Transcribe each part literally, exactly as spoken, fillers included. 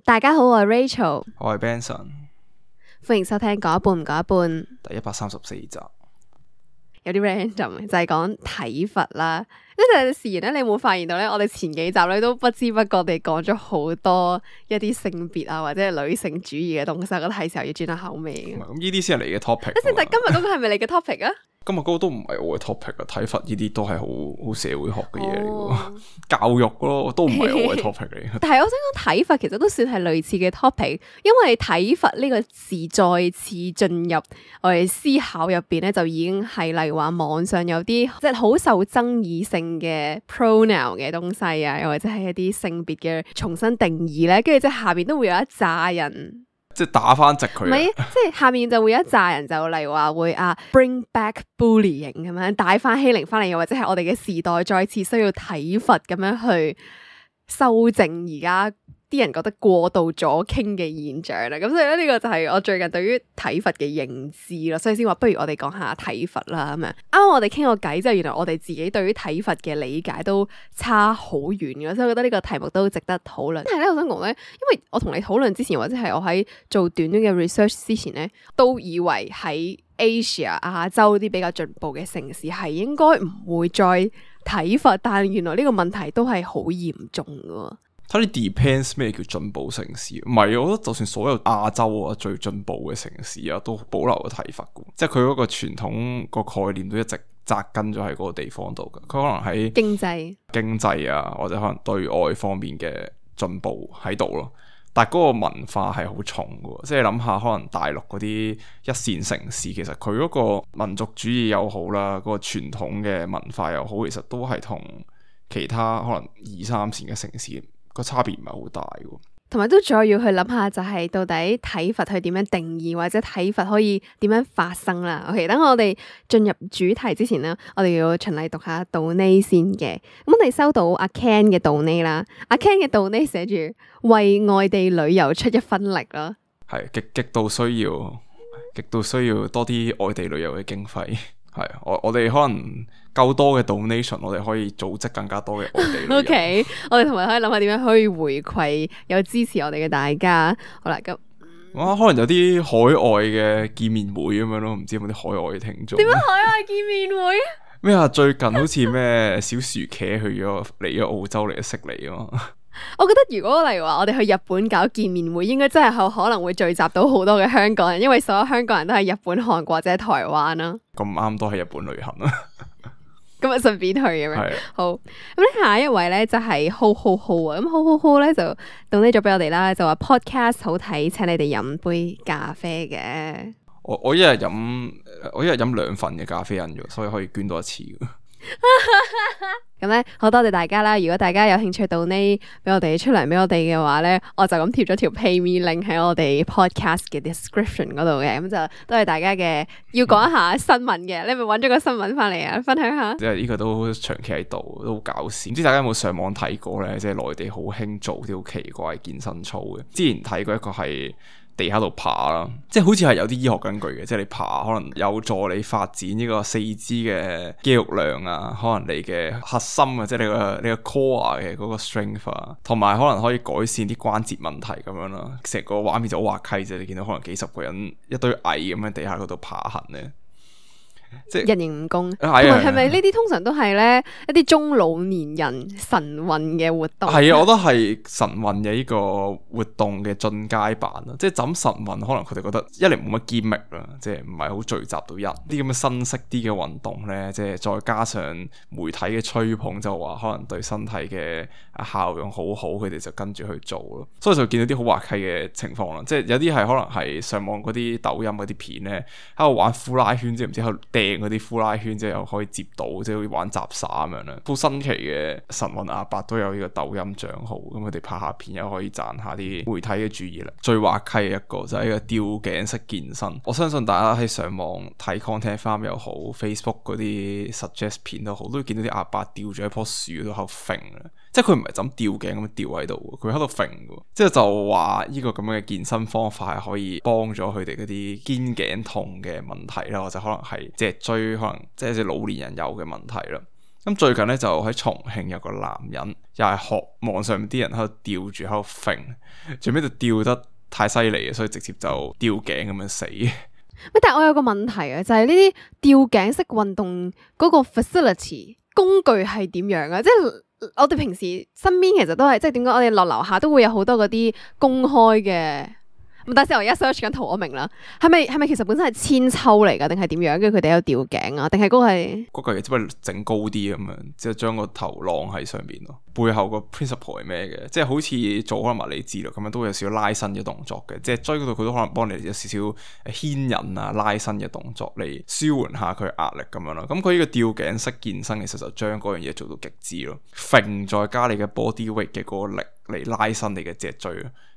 大家好，我係 Rachel，我係 Benson，歡迎收聽講一半唔講一半，第一百三十四集。有啲 random 就係講體罰啦。即係事然咧，你有冇發現到咧？我哋前幾集咧都不知不覺地講咗好多一啲性別啊或者係女性主義嘅東西，我覺得係時候要轉下口味嘅。咁呢啲先係你嘅 topic。但係今日嗰個係咪你嘅 topic 啊？今日嗰個都唔係我嘅 topic 啊，體罰呢啲都係好好社會學嘅嘢嚟嘅，哦、教育咯，都唔係我嘅 topic 嚟嘅。但係我想講體罰其實都算係類似嘅 topic，因為體罰呢個字再次進入我哋思考入邊咧，就已經係例如話網上有啲即係好受爭議性嘅 pronoun 嘅東西啊，又或者係一啲性別嘅重新定義咧，跟住即係下邊都會有一紮人。即係打翻直佢，唔係，即係下面就會有一紮人就例如話會啊 bring back bullying 咁樣帶翻欺凌翻嚟，又或者係我哋嘅時代再次需要體罰咁樣去修正而家啲人覺得過度左傾嘅現象啦。咁所以咧呢個就係我最近對於體罰嘅認知咯，所以先話不如我哋講下體罰啦咁樣。啱啱我哋傾個偈之後，原來我哋自己對於體罰嘅理解都差好遠嘅，所以我覺得呢個題目都值得討論。但係咧，我想講咧，因為我同你討論之前，或者係我喺做短短嘅 research 之前咧，都以為喺 Asia 亞洲啲比較進步嘅城市係應該唔會再體罰，但係原來呢個問題都係好嚴重嘅。睇你 depends 咩叫進步城市，唔係我覺得就算所有亞洲啊最進步嘅城市啊，都保留咗體罰嘅，即係佢嗰個傳統個概念都一直紮根咗喺嗰個地方度嘅。佢可能喺經濟、經濟啊，或者可能對外方面嘅進步喺度咯。但係嗰個文化係好重嘅，即係諗下可能大陸嗰啲一線城市，其實佢嗰個民族主義又好啦，嗰個傳統嘅文化又好，其實都係同其他可能二三線嘅城市個差別唔係好大嘅，同埋都再要去諗下，就係到底體罰去點樣定義，或者體罰可以點樣發生啦。OK，等我哋進入主題之前呢，我哋要循例讀下 donate 先嘅。咁我哋收到阿 Ken 嘅 donate 啦，阿 Ken 嘅 donate 寫住為外地旅遊出一分力啦，係極極度需要，極度需要多啲外地旅遊嘅經費。係我我哋可能夠多嘅 donation， 我哋可以組織更加多嘅外地旅遊。OK， 我哋同埋可以諗下點樣可以回饋有支持我哋嘅大家。好啦，咁哇，可能有啲海外嘅見面會咁樣咯，唔知有冇啲海外嘅聽眾？點樣海外見面會？咩啊？最近好似咩小薯茄去咗嚟咗澳洲嚟悉尼啊嘛。我覺得如果例如話我哋去日本搞見面會，應該真係可能會聚集到好多嘅香港人，因為所有香港人都係日本、韓國或者台灣啦。咁啱都喺日本旅行啊！咁啊，順便去咁樣。係好，咁咧下一位咧就係 Ho Ho Ho 啊，咁 Ho Ho Ho 咧就 donate 咗俾我哋啦，就話 podcast 好睇，請你哋飲杯咖啡嘅。我我一日飲我一日飲兩份嘅咖啡因嘅，所以可以捐多一次。咁咧好多謝大家啦！如果大家有興趣donate俾我哋出糧俾我哋嘅話咧，我就咁貼咗條 PayMe link 喺我哋 podcast 嘅 description 嗰度嘅，咁就多謝大家嘅。要講一下新聞嘅，你係咪揾咗個新聞翻嚟啊？分享下。即係呢個都長期喺度，都好搞笑。唔知大家有冇上網睇過咧？即係內地好興做啲好奇怪健身操嘅。之前睇過一個係地下度爬啦，即係好似係有啲醫學根據嘅，即係你爬可能有助你發展呢個四肢嘅肌肉量啊，可能你嘅核心啊，即係你個你個 core 嘅嗰個 strength 啊，同埋可能可以改善啲關節問題咁樣啦。成個畫面就好滑稽啫，你見到可能幾十個人一堆蟻咁喺地下嗰度爬行咧。即係人形蜈蚣，同埋係咪呢啲通常都係咧一啲中老年人晨運嘅活動？係啊，我覺得係晨運嘅呢個活動嘅進階版啦。即係枕晨運，可能佢哋覺得一嚟冇乜堅力啦，即係唔係好聚集到人。啲咁嘅新式啲嘅運動咧，即係再加上媒體嘅吹捧，就話可能對身體嘅效用好好，佢哋就跟住去做咯。所以就見到啲好滑稽嘅情況啦。即係有啲係可能係上網嗰啲抖音嗰啲片咧，喺度玩呼拉圈，即係唔知喺度掟嗰啲呼拉圈，即係又可以接到，即係好似玩雜耍咁樣啦。好新奇嘅晨運阿伯都有呢個抖音賬號，咁佢哋拍下片又可以賺下啲媒體嘅注意力。最滑稽嘅一個就係呢個吊頸式健身。我相信大家喺上網睇 content farm 又好 ，Facebook 嗰啲 suggest 片都好，都會見到啲阿伯吊住喺棵樹嗰度喺度揈啦。即係佢唔係就咁吊頸咁樣吊喺度，佢喺度揈嘅。即係就話呢個咁樣嘅健身方法係可以幫咗佢哋嗰啲肩頸痛嘅問題啦，或者可能係脊椎可能即係啲老年人有嘅問題啦。咁最近咧就喺重慶有個男人又係學網上面啲人喺度吊住喺度揈，最尾就吊得太犀利嘅，所以直接就吊頸咁樣死。但係我有個問題啊，就係呢啲吊頸式運動嗰個 facility 工具係點樣啊？即係我哋平時身邊其實都係即係點講？我哋落樓下都會有好多嗰啲公開嘅。咁但係我而家 search 緊圖，我明啦，係咪係咪其實本身係千秋嚟噶，定係點樣？跟住佢哋有吊頸啊，定係嗰個係嗰個嘢只不過整高啲咁樣，即係將個頭晾喺上面咯。背後個 principle 係咩嘅？即係好似做可能物理治療咁樣，都會有少少拉伸嘅動作嘅。即係追嗰度佢都可能幫你有少少牽引啊、拉伸嘅動作嚟舒緩下佢壓力咁樣咯。咁佢呢個吊頸式健身其實就將嗰樣嘢做到極致咯，揈再加你嘅 body weight 嘅嗰個力嚟拉伸你嘅脊椎。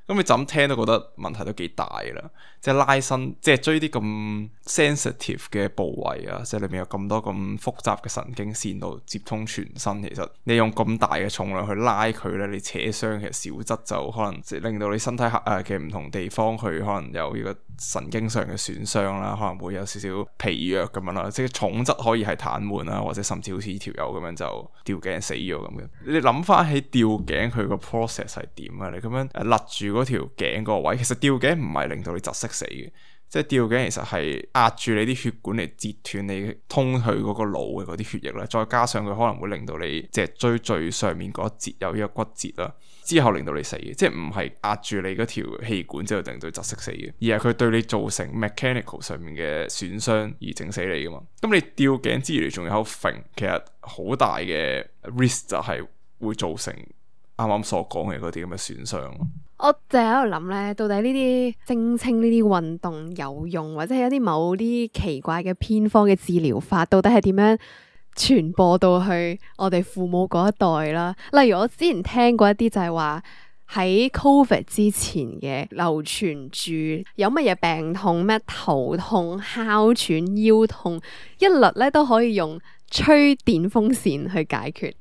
咁你就咁聽都覺得問題都幾大啦，即係拉伸，即係追啲咁 sensitive 嘅部位啊，即係裏面有咁多咁複雜嘅神經線度接通全身，其實你用咁大嘅重量去拉佢咧，你扯傷其實小則就可能即係令到你身體誒嘅唔同地方佢可能有呢個神經上嘅損傷啦，可能會有少少疲弱咁樣啦，即係重則可以係癱瘓啦，或者甚至好似呢條友咁樣就吊頸死咗咁嘅。你諗翻起吊頸佢個 process 係點啊？你咁樣誒勒住嗰條頸個位，其實吊頸唔係令到你窒息死嘅，即係吊頸其實係壓住你啲血管嚟截斷你通去嗰個腦嘅嗰啲血液啦，再加上佢可能會令到你脊椎最上面嗰一節有呢個骨折啦，之後令到你死嘅，即係唔係壓住你嗰條氣管之後令到你窒息死嘅，而係佢對你造成 mechanical 上面嘅損傷而整死你噶嘛。咁你吊頸之餘你仲有揈，其實好大嘅 risk 就係會造成啱啱所講嘅嗰啲咁嘅損傷。我就喺度諗咧，到底呢啲聲稱呢啲運動有用，或者係一啲某啲奇怪嘅偏方嘅治療法，到底係點樣傳播到去我哋父母嗰一代啦？例如我之前聽過一啲就係話喺 Covid 之前嘅流傳住有乜嘢病痛，咩頭痛、哮喘、腰痛，一律咧都可以用吹電風扇去解決。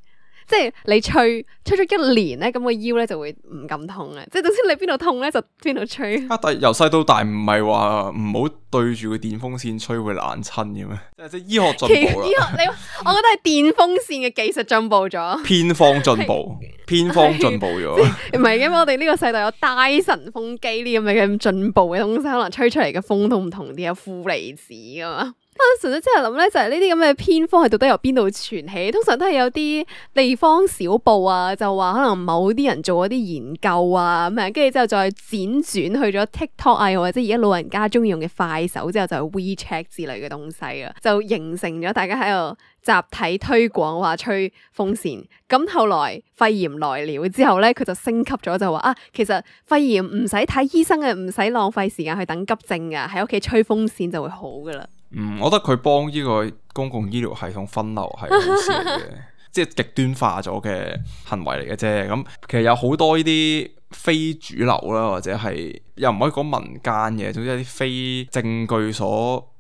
即係你吹吹咗一年咧，咁個腰咧就會唔咁痛嘅。即係總之你邊度痛咧就邊度吹。啊！但係由細到大唔係話唔好對住個電風扇吹會冷親嘅咩？即係即係醫學進步啦。醫學你我覺得係電風扇嘅技術進步咗，偏方進步，偏方進步咗。唔係，因為我哋呢個世代有戴森風機呢咁嘅咁進步嘅東西，可能吹出嚟嘅風都唔同啲，有負離子噶嘛。我純粹之後諗咧，就係呢啲咁嘅偏方係到底由邊度傳起？通常都係有啲地方小報啊，就話可能某啲人做一啲研究啊咁樣，跟住之後再輾轉去咗 TikTok 啊，或者而家老人家中意用嘅快手之後就係 WeChat 之類嘅東西啊，就形成咗大家喺度集體推廣話吹風扇。咁後來肺炎來了之後咧，佢就升級咗，就話啊，其實肺炎唔使睇醫生嘅，唔使浪費時間去等急症噶，喺屋企吹風扇就會好噶啦。嗯，我覺得佢幫呢個公共醫療系統分流係好事嚟嘅，即係極端化咗嘅行為嚟嘅啫。咁其實有好多呢啲非主流啦，或者係又唔可以講民間嘅，總之有啲非證據所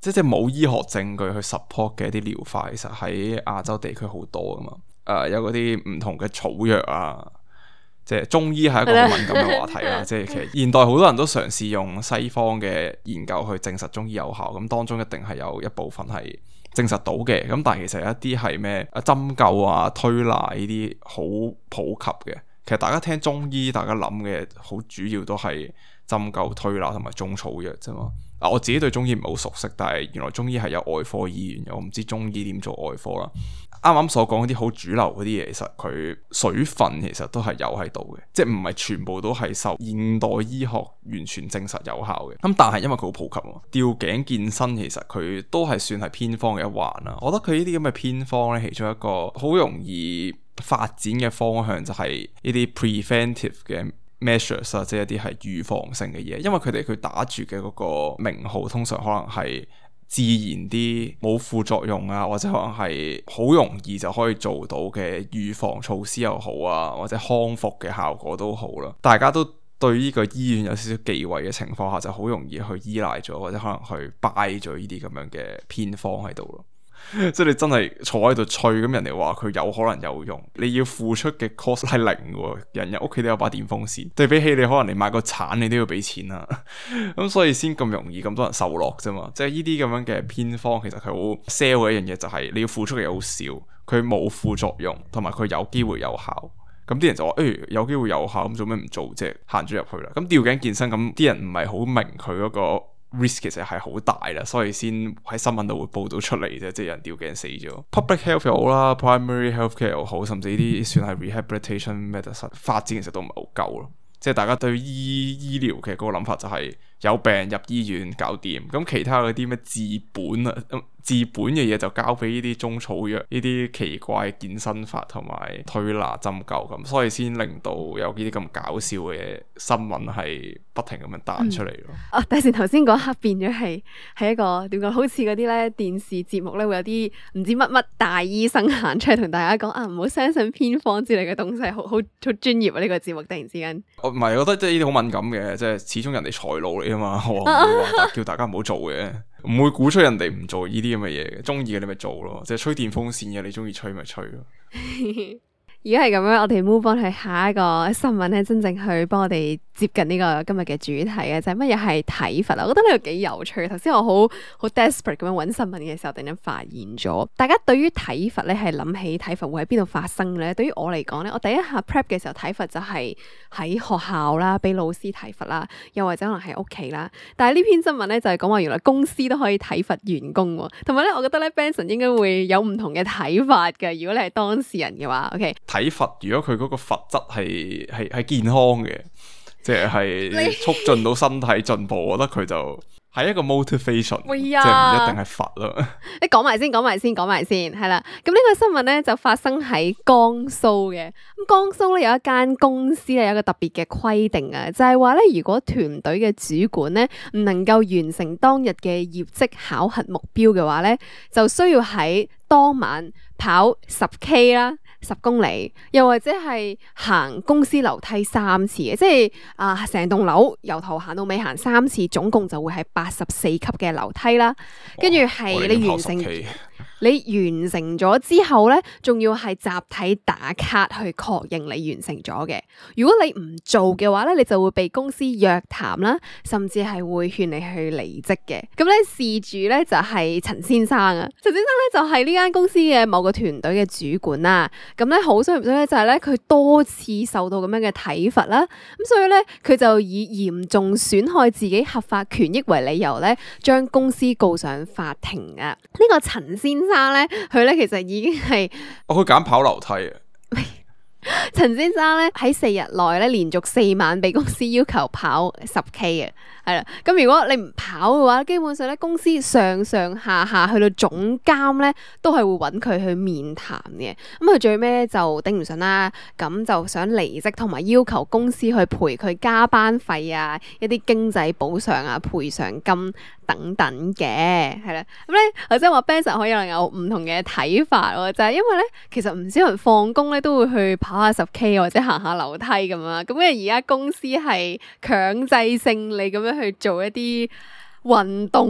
即係即係冇醫學證據去 support 嘅一啲療法，其實喺亞洲地區好多噶嘛。誒、呃，有嗰啲唔同嘅草藥啊。即係中醫係一個好敏感嘅話題啦，即係其實現代好多人都嘗試用西方嘅研究去證實中醫有效，咁當中一定係有一部分係證實到嘅，咁但係其實有一啲係咩啊針灸啊推拿呢啲好普及嘅，其實大家聽中醫大家諗嘅好主要都係針灸推拿同埋中草藥啫嘛。啊，我自己對中醫唔係好熟悉，但係原來中醫係有外科醫院嘅，我唔知中醫點做外科啦。啱啱所講嗰啲好主流嗰啲嘢，其實佢水分其實都係有喺度嘅，即係唔係全部都係受現代醫學完全證實有效嘅。咁但係因為佢好普及喎，吊頸健身其實佢都係算係偏方嘅一環啦。我覺得佢呢啲咁嘅偏方咧，其中一個好容易發展嘅方向就係呢啲 preventive 嘅measures 啊，即係一啲係預防性嘅嘢，因為佢哋佢打住嘅嗰個名號通常可能係自然啲，冇副作用啊，或者可能係好容易就可以做到嘅預防措施又好啊，或者康復嘅效果都好啦。大家都對呢個醫院有少少忌諱嘅情況下，就好容易去依賴咗，或者可能去拜咗呢啲咁樣嘅偏方喺度咯。即係你真係坐喺度吹，咁人哋話佢有可能有用，你要付出嘅 cost 係零嘅，人人屋企都有把電風扇，對比起你可能你買個鏟你都要俾錢啦，咁所以先咁容易咁多人受落啫嘛。即係呢啲咁樣嘅偏方，其實佢好 sell 嘅一樣嘢就係你要付出嘅嘢好少，佢冇副作用，同埋佢有機會有效。咁啲人就話誒、欸、有機會有效，咁做咩唔做啫？行咗入去啦。咁吊頸健身，咁啲人唔係好明佢嗰個 risk 其實係好大啦，所以先喺新聞度會報道出嚟啫，即係有人吊頸死咗。Public health 又好啦，primary healthcare 又好，甚至呢啲算係 rehabilitation medicine 發展其實都唔係好夠咯。即係大家對醫醫療嘅嗰個諗法就係有病入醫院搞掂，咁其他嗰啲咩治本啊、嗯、治本嘅嘢就交俾呢啲中草藥、呢啲奇怪健身法同埋推拿針灸咁，所以先令到有呢啲咁搞笑嘅新聞係不停咁樣彈出嚟咯。啊、嗯，第時頭先嗰刻變咗係係一個點講？好似嗰啲咧電視節目咧會有啲唔知乜乜大醫生行出嚟同大家講啊，唔好相信偏方之類嘅東西，好好好專業啊！呢、這個節目突然之間。唔係，我覺得即係呢啲好敏感嘅，即係始終人哋財路嚟啊嘛，我唔會話叫大家唔好做嘅，唔會鼓吹人哋唔做呢啲咁嘅嘢嘅，中意嘅你咪做咯，即係吹電風扇嘅，你中意吹咪吹咯。而家係咁樣，我哋 move on 去下一個新聞咧，真正去幫我哋接近呢個今日嘅主題嘅就係乜嘢係體罰啊！我覺得呢個幾有趣。頭先我好好 desperate 咁樣揾新聞嘅時候，突然間發現咗，大家對於體罰咧係諗起體罰會喺邊度發生咧？對於我嚟講咧，我第一下 prep 嘅時候體罰就係喺學校啦，俾老師體罰啦，又或者可能喺屋企啦。但係呢篇新聞咧就係講話原來公司都可以體罰員工喎，同埋咧我覺得咧 Benson 應該會有唔同嘅睇法嘅。如果你係當事人嘅話 ，OK。體罰如果佢嗰個罰則係係係健康嘅，即係促進到身體進步，我覺得佢就係一個 motivation，呀即係唔一定係罰咯。你講埋先，講埋先，講埋先，係啦。咁呢個新聞咧就發生喺江蘇嘅。咁江蘇咧有一間公司咧有一個特別嘅規定啊，就係話咧如果團隊嘅主管咧唔能夠完成當日嘅業績考核目標嘅話咧，就需要喺當晚跑十 K 啦。十公里，又或者係行公司樓梯三次嘅，即係啊，成棟樓由頭行到尾行三次，總共就會係八十四級嘅樓梯啦。跟住係你完成。你完成咗之後咧，仲要係集體打卡去確認你完成咗嘅。如果你唔做嘅話咧，你就會被公司約談啦，甚至係會勸你去離職嘅。咁咧事主咧就係陳先生啊，陳先生咧就係呢間公司嘅某個團隊嘅主管啦。咁咧好衰唔衰咧，就係咧佢多次受到咁樣嘅體罰啦。咁所以咧佢就以嚴重損害自己合法權益為理由咧，將公司告上法庭啊。呢個陳先生生咧，佢咧其實已經係，我佢揀跑樓梯啊。陳先生咧喺四日內咧，連續四晚俾公司要求跑十 K 嘅，係啦。咁如果你唔跑嘅話，基本上咧公司上上下下去到總監咧，都係會揾佢去面談嘅。咁佢最尾就頂唔順啦，咁就想離職，同埋要求公司去賠佢加班費啊，一啲經濟補償啊、賠償金等等嘅，係啦。咁咧，或者話 Benson 可以能有唔同嘅睇法喎，就係因為咧，其實唔少人放工咧都會去跑下十 K 或者行下樓梯咁樣，咁因為而家公司係強制性你咁樣去做一啲運動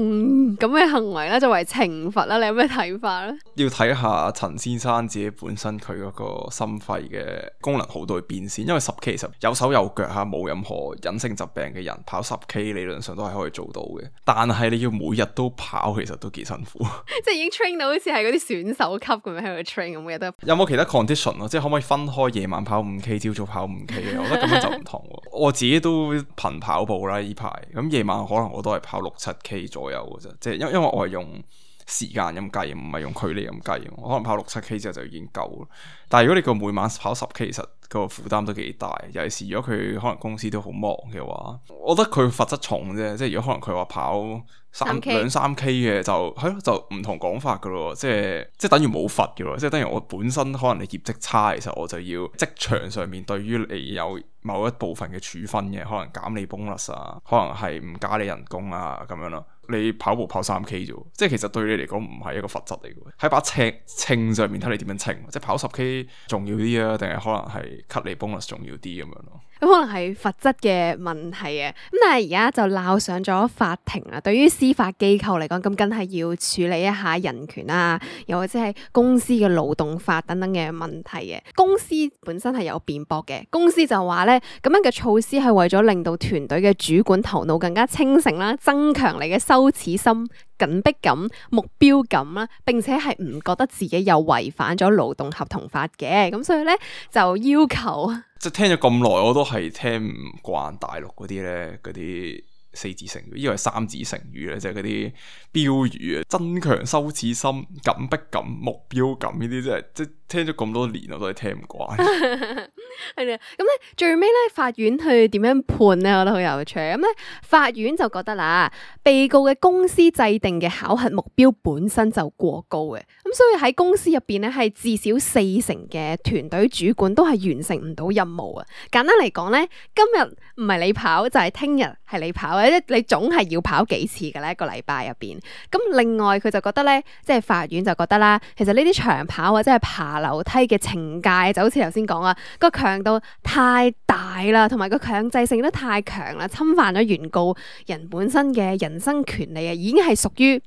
咁嘅行為啦，作為懲罰啦，你有咩睇法咧？要睇下陳先生自己本身佢嗰個心肺嘅功能好到去邊先，因為十 K 其實有手有腳吓，冇任何隱性疾病嘅人跑十 K 理論上都係可以做到嘅，但係你要每日都跑，其實都幾辛苦。即係已經 train 到好似係嗰啲選手級咁樣喺度 train 咁，每日都有冇其他 condition 咯？即係可唔可以分開夜晚跑五 K， 朝早跑五 K 嘅？我覺得咁樣就唔同。我自己都頻跑步啦，呢排咁夜晚可能我都係跑六七 K 左右嘅啫，即係因因為我係用時間咁計，唔係用距離咁計，我可能跑六七 K 之後就已經夠啦。但係如果你個每晚跑十 K，其實個負擔都幾大，尤其是如果佢可能公司都好忙嘅話，我覺得佢罰則重啫。即係如果可能佢話跑三兩三 K 嘅就係咯，就唔同講法噶咯。即係即係等於冇罰噶咯，即係等於我本身可能你業績差，其實我就要職場上面對於你有某一部分嘅處分嘅，可能減你 bonus 啊，可能係唔加你人工啊咁樣咯。你跑步跑三 K 啫，即係其實對你嚟講唔係一個罰則嚟嘅，喺把尺稱上面睇你點樣稱，即係跑十 K 重要啲啊，定係可能係 cut 你 bonus 重要啲咁樣咯。咁可能係罰則嘅問題啊。咁但係而家就鬧上咗法庭啦。對於司法機構嚟講，咁梗係要處理一下人權啊，又或者係公司嘅勞動法等等嘅問題嘅。公司本身係有辯駁嘅，公司就話咧，咁樣嘅措施係為咗令到團隊嘅主管頭腦更加清醒啦，增強你嘅羞恥心、緊迫感、目標感啦，並且係唔覺得自己有違反咗勞動合同法嘅，咁所以咧就要求，即係聽咗咁耐，我都係聽唔慣大陸嗰啲咧，嗰啲四字成語，呢個係三字成語咧，即係嗰啲標語啊，增強羞恥心、緊迫感、目標感呢啲，真係即係聽咗咁多年，我都係聽唔慣。係啦，咁咧最尾咧，法院去點樣判咧？我覺得好有趣。咁咧，法院就覺得啦，被告嘅公司制定嘅考核目標本身就過高嘅，咁所以喺公司入邊咧，係至少四成嘅團隊主管都係完成唔到任務啊。簡單嚟講咧，今日唔係你跑，就係聽日係你跑嘅，即你總係要跑幾次嘅咧，一個禮拜入邊。咁另外佢就覺得咧，即係法院就覺得啦，其實呢啲長跑或者係爬樓梯嘅懲戒，就好似頭先講啊，個強度太大啦，同埋個強制性都太強啦，侵犯咗原告人本身嘅人身權利啊，已經係屬於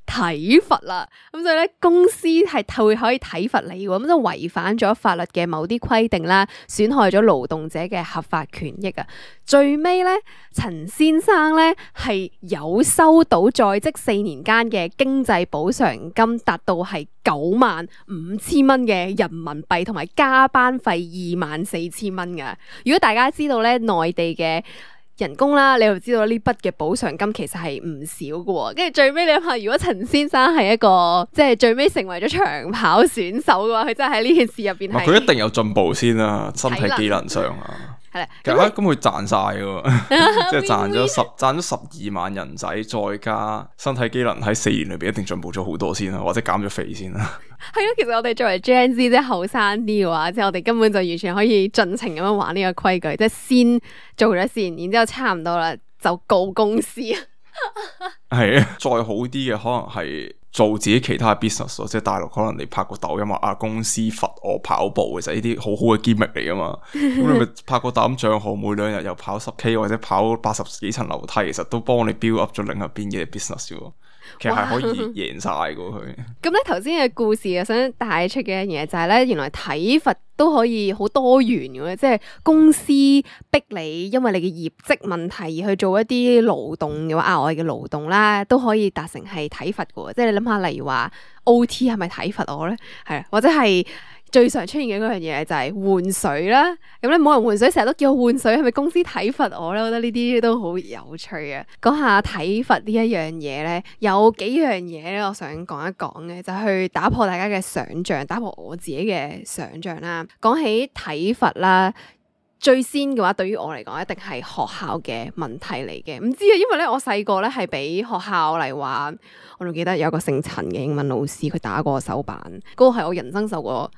體罰啦。咁所以咧，公司係會可以體罰你喎，咁就違反咗法律嘅某啲規定啦，損害咗勞動者嘅合法權益啊。最尾咧，陳先生咧係有收到在職四年間嘅經濟補償金，達到係九萬五千蚊嘅人民幣，同埋加班費二萬四千蚊噶。如果大家知道咧，內地嘅人工啦，你就知道呢筆嘅補償金其實係唔少嘅。跟住最尾你諗下，如果陳先生係一個即係最尾成為咗長跑選手嘅話，佢真係喺呢件事入邊係佢一定有進步先啦，身體機能上啊。咁咁佢賺晒嘅，即係賺咗十賺咗十二萬人仔，再加身體機能喺四年裏邊一定進步咗好多先啦，或者減咗肥先啦。係咯，其實我哋作為 Gen Z 即係後生啲嘅話，即係我哋根本就完全可以盡情咁樣玩呢個規矩，即係先做咗先，然之後差唔多啦就告公司。係啊，再好啲嘅可能係做自己其他 business 咯，即係大陸可能你拍個抖音話啊公司罰我跑步，其實呢啲好好嘅 gimmick 嚟噶嘛。咁你咪拍個抖音賬號，每兩日又跑十 K 或者跑八十幾層樓梯，其實都幫你 build up 咗另一邊嘅 business 喎。其實係可以贏晒噶佢。咁咧頭先嘅故事啊，想帶出嘅一樣嘢就係咧，原來體罰都可以好多元嘅，即係公司逼你，因為你嘅業績問題而去做一啲勞動嘅話，額外嘅勞動啦，都可以達成係體罰嘅。即係你諗下，例如話 O T 係咪體罰我咧？係啊，或者係最常出現嘅嗰樣嘢就係換水啦。咁咧冇人換水，成日都叫我換水，係咪公司體罰我咧？我覺得呢啲都好有趣啊！講下體罰呢一樣嘢咧，有幾樣嘢咧，我想講一講嘅，就係去打破大家嘅想像，打破我自己嘅想像啦。講起體罰啦，最先嘅話，對於我嚟講，一定係學校嘅問題嚟嘅。唔知啊，因為咧我細個咧係俾學校嚟話，我仲記得有個姓陳嘅英文老師，佢打過我手板，嗰個係我人生受過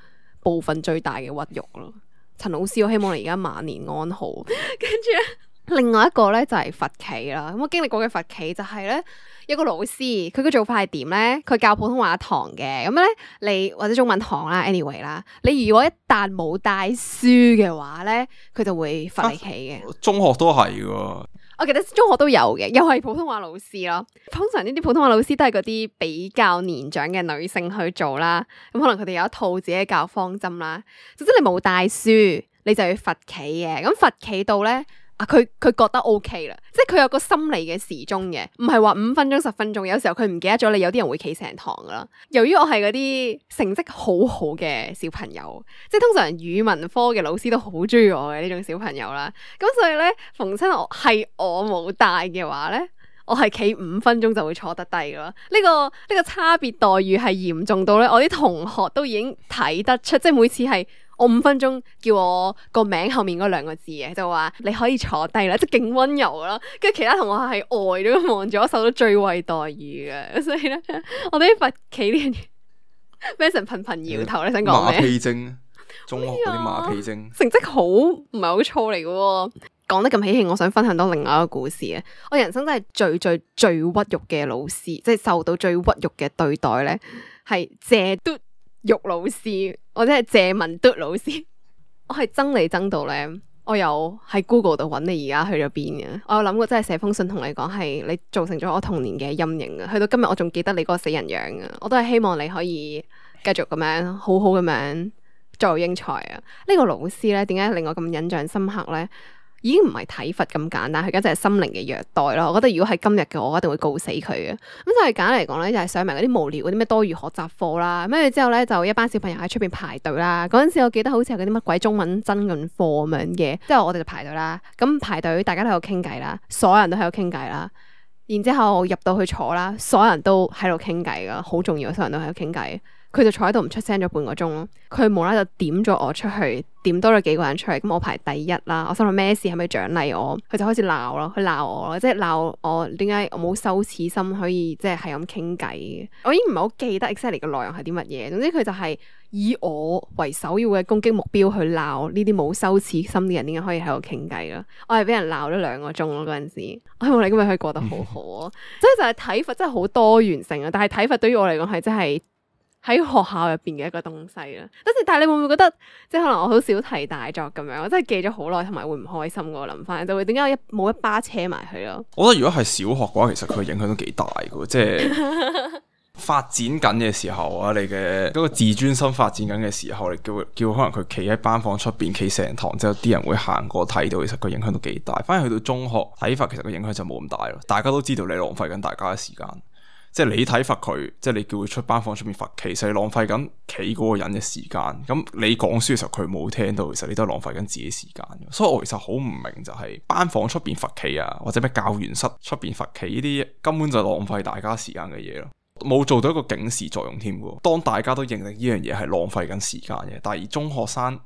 部分最大嘅屈辱咯。陳老師，我希望你而家晚年安好。跟住另外一個咧就係罰企啦。咁我經歷過嘅罰企就係咧，有個老師佢嘅做法係點咧？佢教普通話堂嘅，咁咧你或者中文堂啦 ，anyway 啦，你如果一旦冇帶書嘅話咧，佢就會罰你企嘅。中學都係嘅。我記得中學都有嘅，又係普通話老師咯。通常呢啲普通話老師都係嗰啲比較年長嘅女性去做啦。咁可能佢哋有一套自己嘅教方針啦。總之你冇帶書，你就要罰企嘅。咁罰企到咧。啊！佢佢覺得 OK 啦，即係佢有個心理嘅時鐘嘅，唔係話五分鐘十分鐘。有時候佢唔記得咗你，有啲人會企成堂噶啦。由於我係嗰啲成績好好嘅小朋友，即係通常語文科嘅老師都好中意我嘅呢種小朋友啦。咁所以咧，逢親我係我冇帶嘅話咧，我係企五分鐘就會坐得低噶啦。呢、這個呢、這個差別待遇係嚴重到咧，我啲同學都已經睇得出，即係每次係。我五分鐘叫我個名後面嗰兩個字嘅，就話你可以坐低啦，即係勁溫柔啦。跟住其他同學係呆咗咁望住我，受到最惠待遇嘅。所以咧，我哋啲罰企呢樣嘢，Mason 頻頻搖頭，你想講咩？馬屁精，中學嗰啲馬屁精，成績好唔係好錯嚟嘅。講得咁喜慶，我想分享多另外一個故事啊！我人生真係最最最屈辱嘅老師，即係受到最屈辱嘅對待咧，係謝嘟玉老師，或者係謝文嘟老師。我係憎你憎到咧，我有喺 Google 度揾你而家去咗邊嘅，我有諗過真係寫封信同你講，係你造成咗我童年嘅陰影啊！去到今日我仲記得你嗰個死人樣啊！我都係希望你可以繼續咁樣好好咁樣作育英才啊！呢、這個老師咧，點解令我咁印象深刻咧？已經唔係體罰咁簡單，佢而家就係心靈嘅虐待咯。我覺得如果係今日嘅我，我一定會告死佢嘅。咁就係簡單嚟講咧，就係上埋嗰啲無聊嗰啲咩多餘學習課啦。跟住之後咧，就一班小朋友喺出邊排隊啦。嗰陣時我記得好似有嗰啲乜鬼中文爭論課咁樣嘅，之後我哋就排隊啦。咁排隊大家都喺度傾偈啦，所有人都喺度傾偈啦。然之後入到去坐啦，所有人都喺度傾偈噶，好重要，所有人都喺度傾偈。佢就坐喺度唔出聲咗半個鐘咯，佢無啦啦就點咗我出去，點多咗幾個人出嚟，咁我排第一啦。我心諗咩事，係咪獎勵我？佢就開始鬧咯，佢鬧我咯，即係鬧我點解我冇羞恥心可以即係係咁傾偈。我已經唔係好記得 exactly 嘅內容係啲乜嘢，總之佢就係以我為首要嘅攻擊目標去鬧呢啲冇羞恥心嘅人，點解可以喺度傾偈咯？我係俾人鬧咗兩個鐘咯嗰陣時，我希望你今日可以過得好好啊！所以就係體罰真係好多元性啊，但係體罰對於我嚟講係真係喺學校入邊嘅一個東西啦，但係你會唔會覺得，即係可能我好小題大作咁樣，我真係記咗好耐，同埋會唔開心嘅。我諗翻就會點解一冇一巴車埋去咯？我覺得如果係小學嘅話，其實佢影響都幾大嘅，即係發展緊嘅時候啊，你嘅嗰個自尊心發展緊嘅時候，你叫叫可能佢企喺班房出邊企成堂之後，啲人會行過睇到，其實個影響都幾大。反而去到中學體罰，其實個影響就冇咁大咯。大家都知道你浪費緊大家嘅時間。即係你體罰佢，即係你叫佢出班房出面罰，其實你浪費緊企嗰個人嘅時間。咁你講書嘅時候佢冇聽到，其實你都係浪費緊自己時間。所以我其實好唔明就係班房出邊罰企啊，或者咩教員室出邊罰企呢啲，根本就係浪費大家時間嘅嘢咯，冇做到一個警示作用添嘅。當大家都認定呢樣嘢係浪費緊時間嘅，但係中學生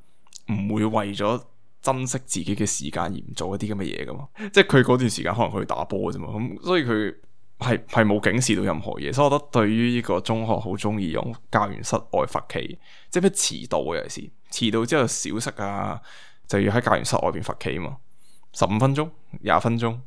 唔會為咗珍惜自己嘅時間而唔做一啲咁嘅嘢噶嘛。即係佢嗰段時間可能佢去打波啫嘛，咁所以佢係係冇警示到任何嘢，所以我覺得對於呢個中學好中意用教員室外罰企，即係咩遲到嘅，有時遲到之後小息啊，就要喺教員室外邊罰企嘛，十五分鐘、廿分鐘。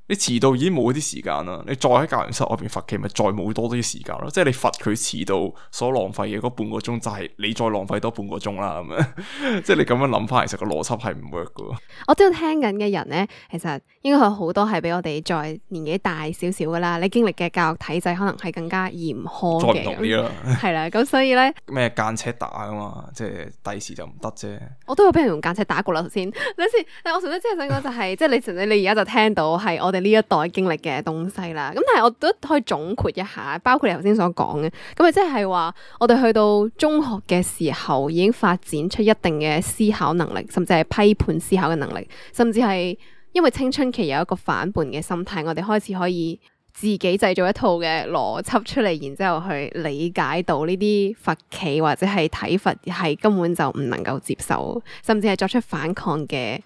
你遲到已經冇啲時間啦，你再喺教員室外邊罰企，咪再冇多啲時間咯。即係你罰佢遲到所浪費嘅嗰半個鐘，就係你再浪費多半個鐘啦咁樣。即係你咁樣諗翻，其實個邏輯係唔 work 噶。我知道聽緊嘅人咧，其實應該有好多係比我哋再年紀大少少噶啦。你經歷嘅教育體制可能係更加嚴苛嘅，再唔同啲啦。係啦，咁所以咧咩間尺打噶嘛，即係第時就唔得啫。我都有俾人用間尺打過啦，頭先。等先，但係我純粹即係想講就係、是，即係你純粹你而家就聽到係我哋呢一代經歷嘅東西啦。咁但係我都可以總括一下，包括你頭先所講嘅，咁啊即係話我哋去到中學嘅時候已經發展出一定嘅思考能力，甚至係批判思考嘅能力，甚至係因為青春期有一個反叛嘅心態，我哋開始可以自己製造一套嘅邏輯出嚟，然之後去理解到呢啲罰企或者係體罰係根本就唔能夠接受，甚至係作出反抗嘅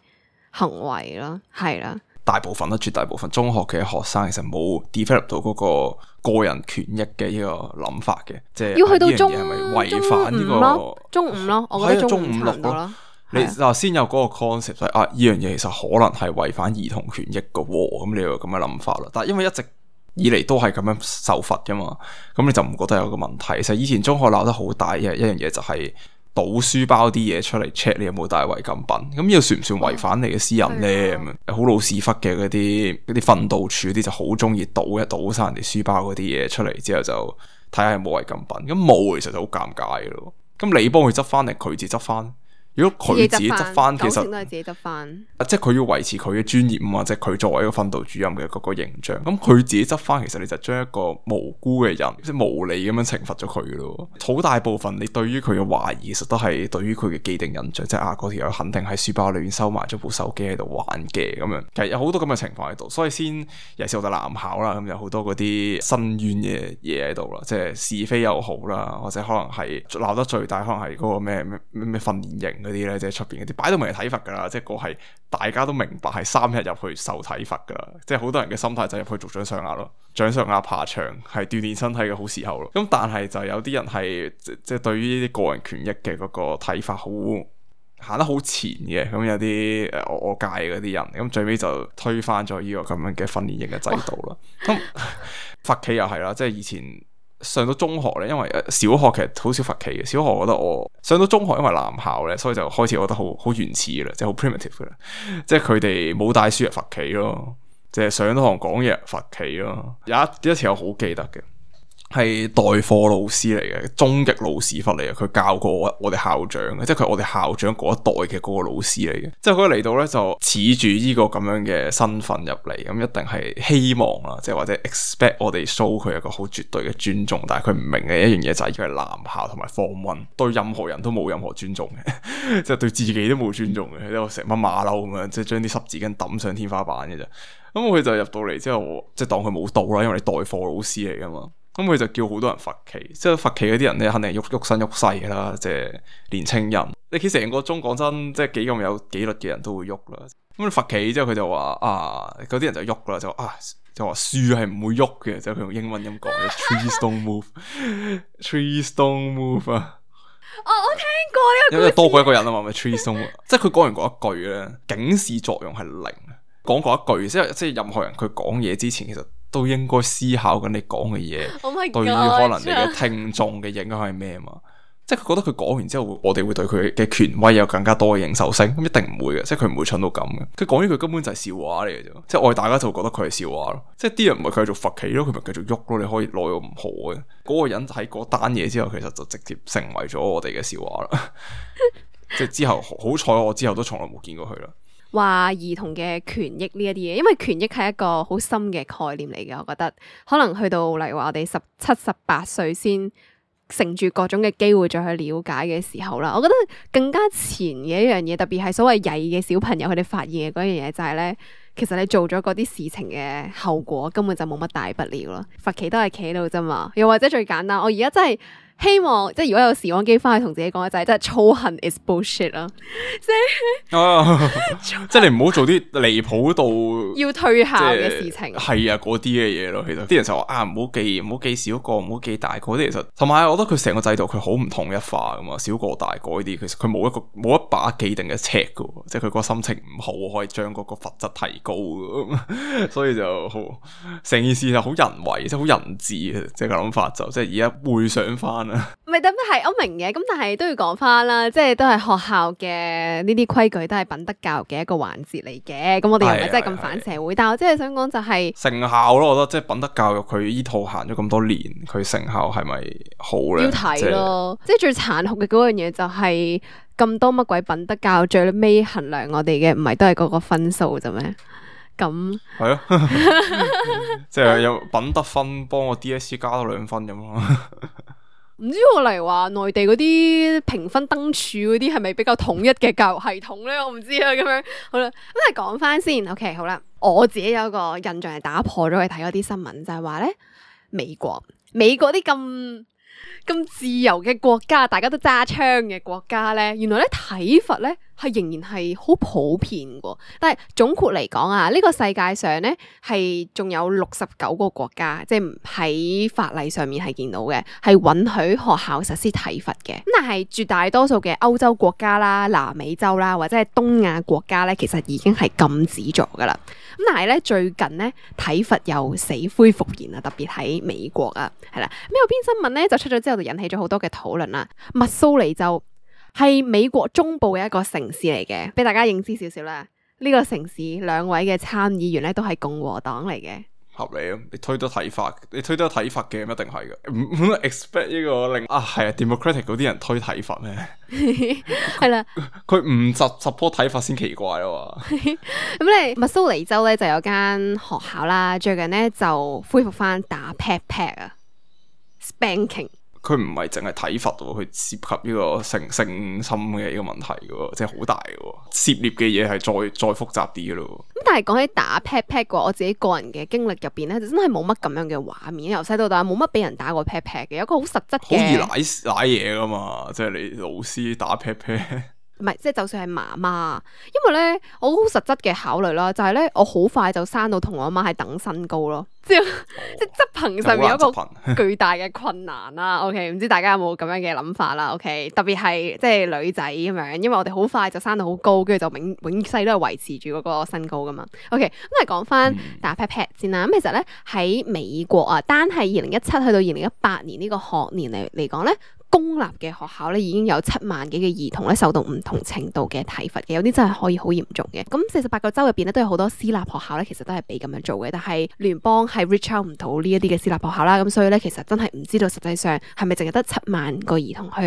行為咯，係啦。大部分啦，絕大部分中學嘅學生其實冇 develop 到嗰個個人權益嘅呢個諗法嘅，即係要去到中係咪違反呢個中五咯，我覺得中五差唔多咯。你嗱先有嗰個 concept 係啊，呢樣嘢其實可能係違反兒童權益嘅喎，咁你有咁嘅諗法啦。但係因為一直以嚟都係咁樣受罰噶嘛，咁你就唔覺得有個問題。其實以前中學鬧得好大嘅一樣嘢就係倒書包啲嘢出嚟 check 你有冇帶違禁品，咁呢個算唔算違反你嘅私隱咧？咁樣好老屎忽嘅嗰啲嗰啲訓導處嗰啲就好中意倒一倒晒人哋書包嗰啲嘢出嚟之後就睇下有冇違禁品，咁冇其實就好尷尬嘅咯。咁你幫佢執翻定佢自己執翻？如果佢自己執翻，其實都係自己執翻。啊，即係佢要維持佢嘅尊嚴啊，即係佢作為一個訓導主任嘅嗰個形象。咁佢自己執翻，其實你就將一個無辜嘅人，即係無理咁樣懲罰咗佢咯。好大部分你對於佢嘅懷疑，其實都係對於佢嘅既定印象，即係啊嗰條友肯定喺書包裏面收埋咗部手機喺度玩嘅咁樣。其實有好多咁嘅情況喺度，所以先尤其是我哋男校啦，咁有好多嗰啲申冤嘅嘢喺度啦，即係是非又好啦，或者可能係鬧得最大，可能係嗰個咩咩咩訓練營嗰啲咧，即係出邊嗰啲擺到明係體罰噶啦，即係個係大家都明白係三日入去受體罰噶啦，即係好多人嘅心態就入去做掌上壓咯，掌上壓爬牆係鍛煉身體嘅好時候咯。咁但係就有啲人係即即係對於呢啲個人權益嘅嗰個睇法好行得好前嘅，咁有啲誒我我界嗰啲人，咁最尾就推翻咗呢個咁樣嘅訓練營嘅制度啦。咁罰企又係啦，即係以前上到中學咧，因為小學其實好少罰企嘅。小學我覺得我上到中學，因為男校咧，所以就開始覺得好好原始嘅啦，即係好 primitive 嘅啦。即係佢哋冇帶書嚟罰企咯，即係上堂講嘢罰企咯。有一一次我好記得嘅，係代課老師嚟嘅，終極老屎忽嚟嘅。佢教過我我哋校長嘅，即係佢係我哋校長嗰一代嘅嗰個老師嚟嘅。即係佢嚟到咧就恃住呢個咁樣嘅身份入嚟，咁一定係希望啦，即係或者 expect 我哋 show 佢一個好絕對嘅尊重。但係佢唔明嘅一樣嘢就係佢係男校同埋 form one，對任何人都冇任何尊重嘅，即係對自己都冇尊重嘅，喺度成班馬騮咁樣，即係將啲濕紙巾抌上天花板嘅啫。咁佢就入到嚟之後，即係當佢冇到啦，因為你代課老師嚟噶嘛。咁佢就叫好多人罰企，即係罰企嗰啲人咧，肯定係喐喐身喐勢噶啦，即係年青人。你企成個鐘，講真，即係幾咁有紀律嘅人都會喐啦。咁你罰企之後，佢就話啊，嗰啲人就喐啦，就啊，就話樹係唔會喐嘅，就佢用英文咁講嘅，trees don't move，trees don't move 啊。哦，我聽過呢個故事，因為多過一個人啊嘛，咪 trees don't move。即係佢講完嗰一句咧，警示作用係零。講過一句，即係即係任何人佢講嘢之前，其實都應該思考緊你講嘅嘢，oh my God，對於可能你嘅聽眾嘅影響係咩嘛？即係佢覺得佢講完之後，我哋會對佢嘅權威有更加多嘅認受性，咁一定唔會嘅，即係佢唔會蠢到咁嘅。佢講呢句根本就係笑話嚟嘅啫，即係我哋大家就覺得佢係笑話咯。即係啲人唔係繼續罰企咯，佢咪繼續喐咯。你可以攞到唔好嘅嗰個人喺嗰單嘢之後，其實就直接成為咗我哋嘅笑話啦。即係之後好彩，我之後都從來冇見過佢啦。話兒童嘅權益呢一啲嘢，因為權益係一個好深嘅概念嚟嘅，我覺得可能去到例如話我哋十七、十八歲先乘住各種嘅機會再去了解嘅時候啦，我覺得更加前嘅一樣嘢，特別係所謂曳嘅小朋友佢哋發現嘅嗰樣嘢就係咧，其實你做咗嗰啲事情嘅後果根本就冇乜大不了咯，罰企都係企喺度啫嘛，又或者最簡單，我而家真係希望即係如果有時光機翻去同自己講嘅就係，真係操行 is bullshit 啦，即係即係你唔好做啲離譜到要退校嘅事情，係啊嗰啲嘅嘢咯。其實啲人就話啊，唔好記唔好記小個，唔好記大個啲。其實同埋我覺得佢成個制度佢好唔統一化噶嘛，小個大個呢啲，其實佢冇一個冇一把既定嘅尺噶，即係佢個心情唔好可以將嗰個罰則提高噶，所以就好成件事就好人為，即係好人治嘅，即係個諗法就即係而家回想翻。唔係，咁係我明嘅，咁但係都要講翻啦，即係都係學校嘅呢啲規矩，都係品德教育嘅一個環節嚟嘅。咁我哋又唔係真係咁反社會，但係我真係想講就係成效咯。我覺得即係品德教育佢依套行咗咁多年，佢成效係咪好咧？要睇咯，即係最殘酷嘅嗰樣嘢就係咁多乜鬼品德教育，最尾衡量我哋嘅唔係都係嗰個分數啫咩？咁係咯，即係有品德分幫我 D S E 加多兩分咁咯。唔知我例如話內地嗰啲評分燈柱嗰啲係咪比較統一嘅教育系統咧？我唔知啊，咁樣好啦，咁係講翻先。OK， 好啦，我自己有一個印象係打破咗去睇嗰啲新聞，就係話咧美國美國啲咁咁自由嘅國家，大家都揸槍嘅國家咧，原來咧體罰咧係仍然係好普遍嘅。但係總括嚟講啊，呢個世界上咧係仲有六十九個國家，即係喺法例上面係見到嘅，係允許學校實施體罰嘅。咁但係絕大多數嘅歐洲國家啦、南美洲啦或者係東亞國家咧，其實已經係禁止咗噶啦。咁但係咧最近咧體罰又死灰復燃啊，特別喺美國啊，係啦。咁有篇新聞咧就出咗之後就引起咗好多嘅討論啦。密蘇里州係美國中部嘅一個城市嚟嘅，俾大家認知少少啦。呢個城市兩位嘅參議員咧都係共和黨嚟嘅。合理啊！你推得體罰，你推得體罰嘅一定係嘅，唔 expect 呢個令啊係啊 Democratic 嗰啲人推體罰咩？係啦，佢唔 support 體罰先奇怪啊嘛。咁咧，密蘇里州咧就有間學校啦，最近咧就恢復翻打 pat pat 啊 ，spanking。佢唔係淨係體罰喎，佢涉及呢個性性侵嘅呢個問題嘅，即係好大嘅，涉獵嘅嘢係再再複雜啲嘅咯。咁但係講起打 pat pat 嘅話，我自己個人嘅經歷入邊咧，就真係冇乜咁樣嘅畫面。由細到大冇乜俾人打過 pat pat 嘅，有一個好實質嘅。好易舐舐嘢噶嘛，即係你老師打 pat pat。唔係即係就算係媽媽，因為咧我好實質嘅考慮啦，就係咧我好快就生到同我阿媽係等身高咯，即係、哦、即係執行上面有一個巨大嘅困難啦。OK，唔知大家有冇咁樣嘅諗法啦？OK，特別係即係女仔咁樣，因為我哋好快就生到好高，跟住就永永世都係維持住嗰個身高噶嘛。OK，咁嚟講翻打 pat pat 先啦。咁其實咧喺美國啊，單係二零一七去到二零一八年呢個學年嚟嚟講咧，公立嘅學校咧已經有七萬幾嘅兒童咧受到唔同程度嘅體罰嘅，有啲真係可以好嚴重嘅。咁四十八個州入邊咧都有好多私立學校咧，其實都係俾咁樣做嘅，但係聯邦係 reach out 唔到呢一啲嘅私立學校啦。咁所以咧其實真係唔知道實際上係咪淨係得七萬個兒童去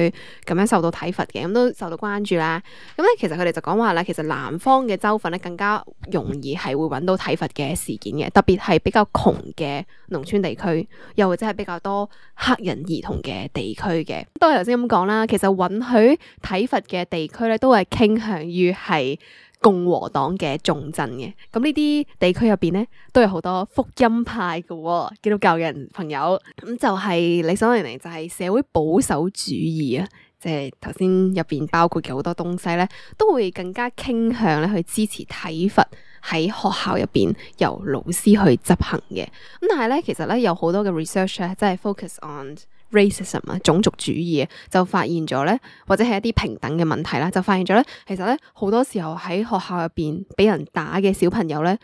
咁樣受到體罰嘅，咁都受到關注啦。咁咧其實佢哋就講話啦，其實南方嘅州份咧更加容易係會揾到體罰嘅事件嘅，特別係比較窮嘅農村地區，又或者係比較多黑人兒童嘅地區嘅。都係頭先咁講啦，其實允許體罰嘅地區咧，都係傾向於係共和黨嘅重鎮嘅。咁呢啲地區入邊咧，都有好多福音派嘅、哦、基督教嘅人朋友。咁就係理所當然就係社會保守主義啊，即係頭先入邊包括嘅好多東西咧，都會更加傾向咧去支持體罰喺學校入邊由老師去執行嘅。咁但係咧，其實咧有好多嘅 research 咧，即係 focus on racism 啊，種族主義啊，就發現咗咧，或者係一啲平等嘅問題啦，就發現咗咧，其實咧好多時候喺學校入邊俾人打嘅小朋友咧，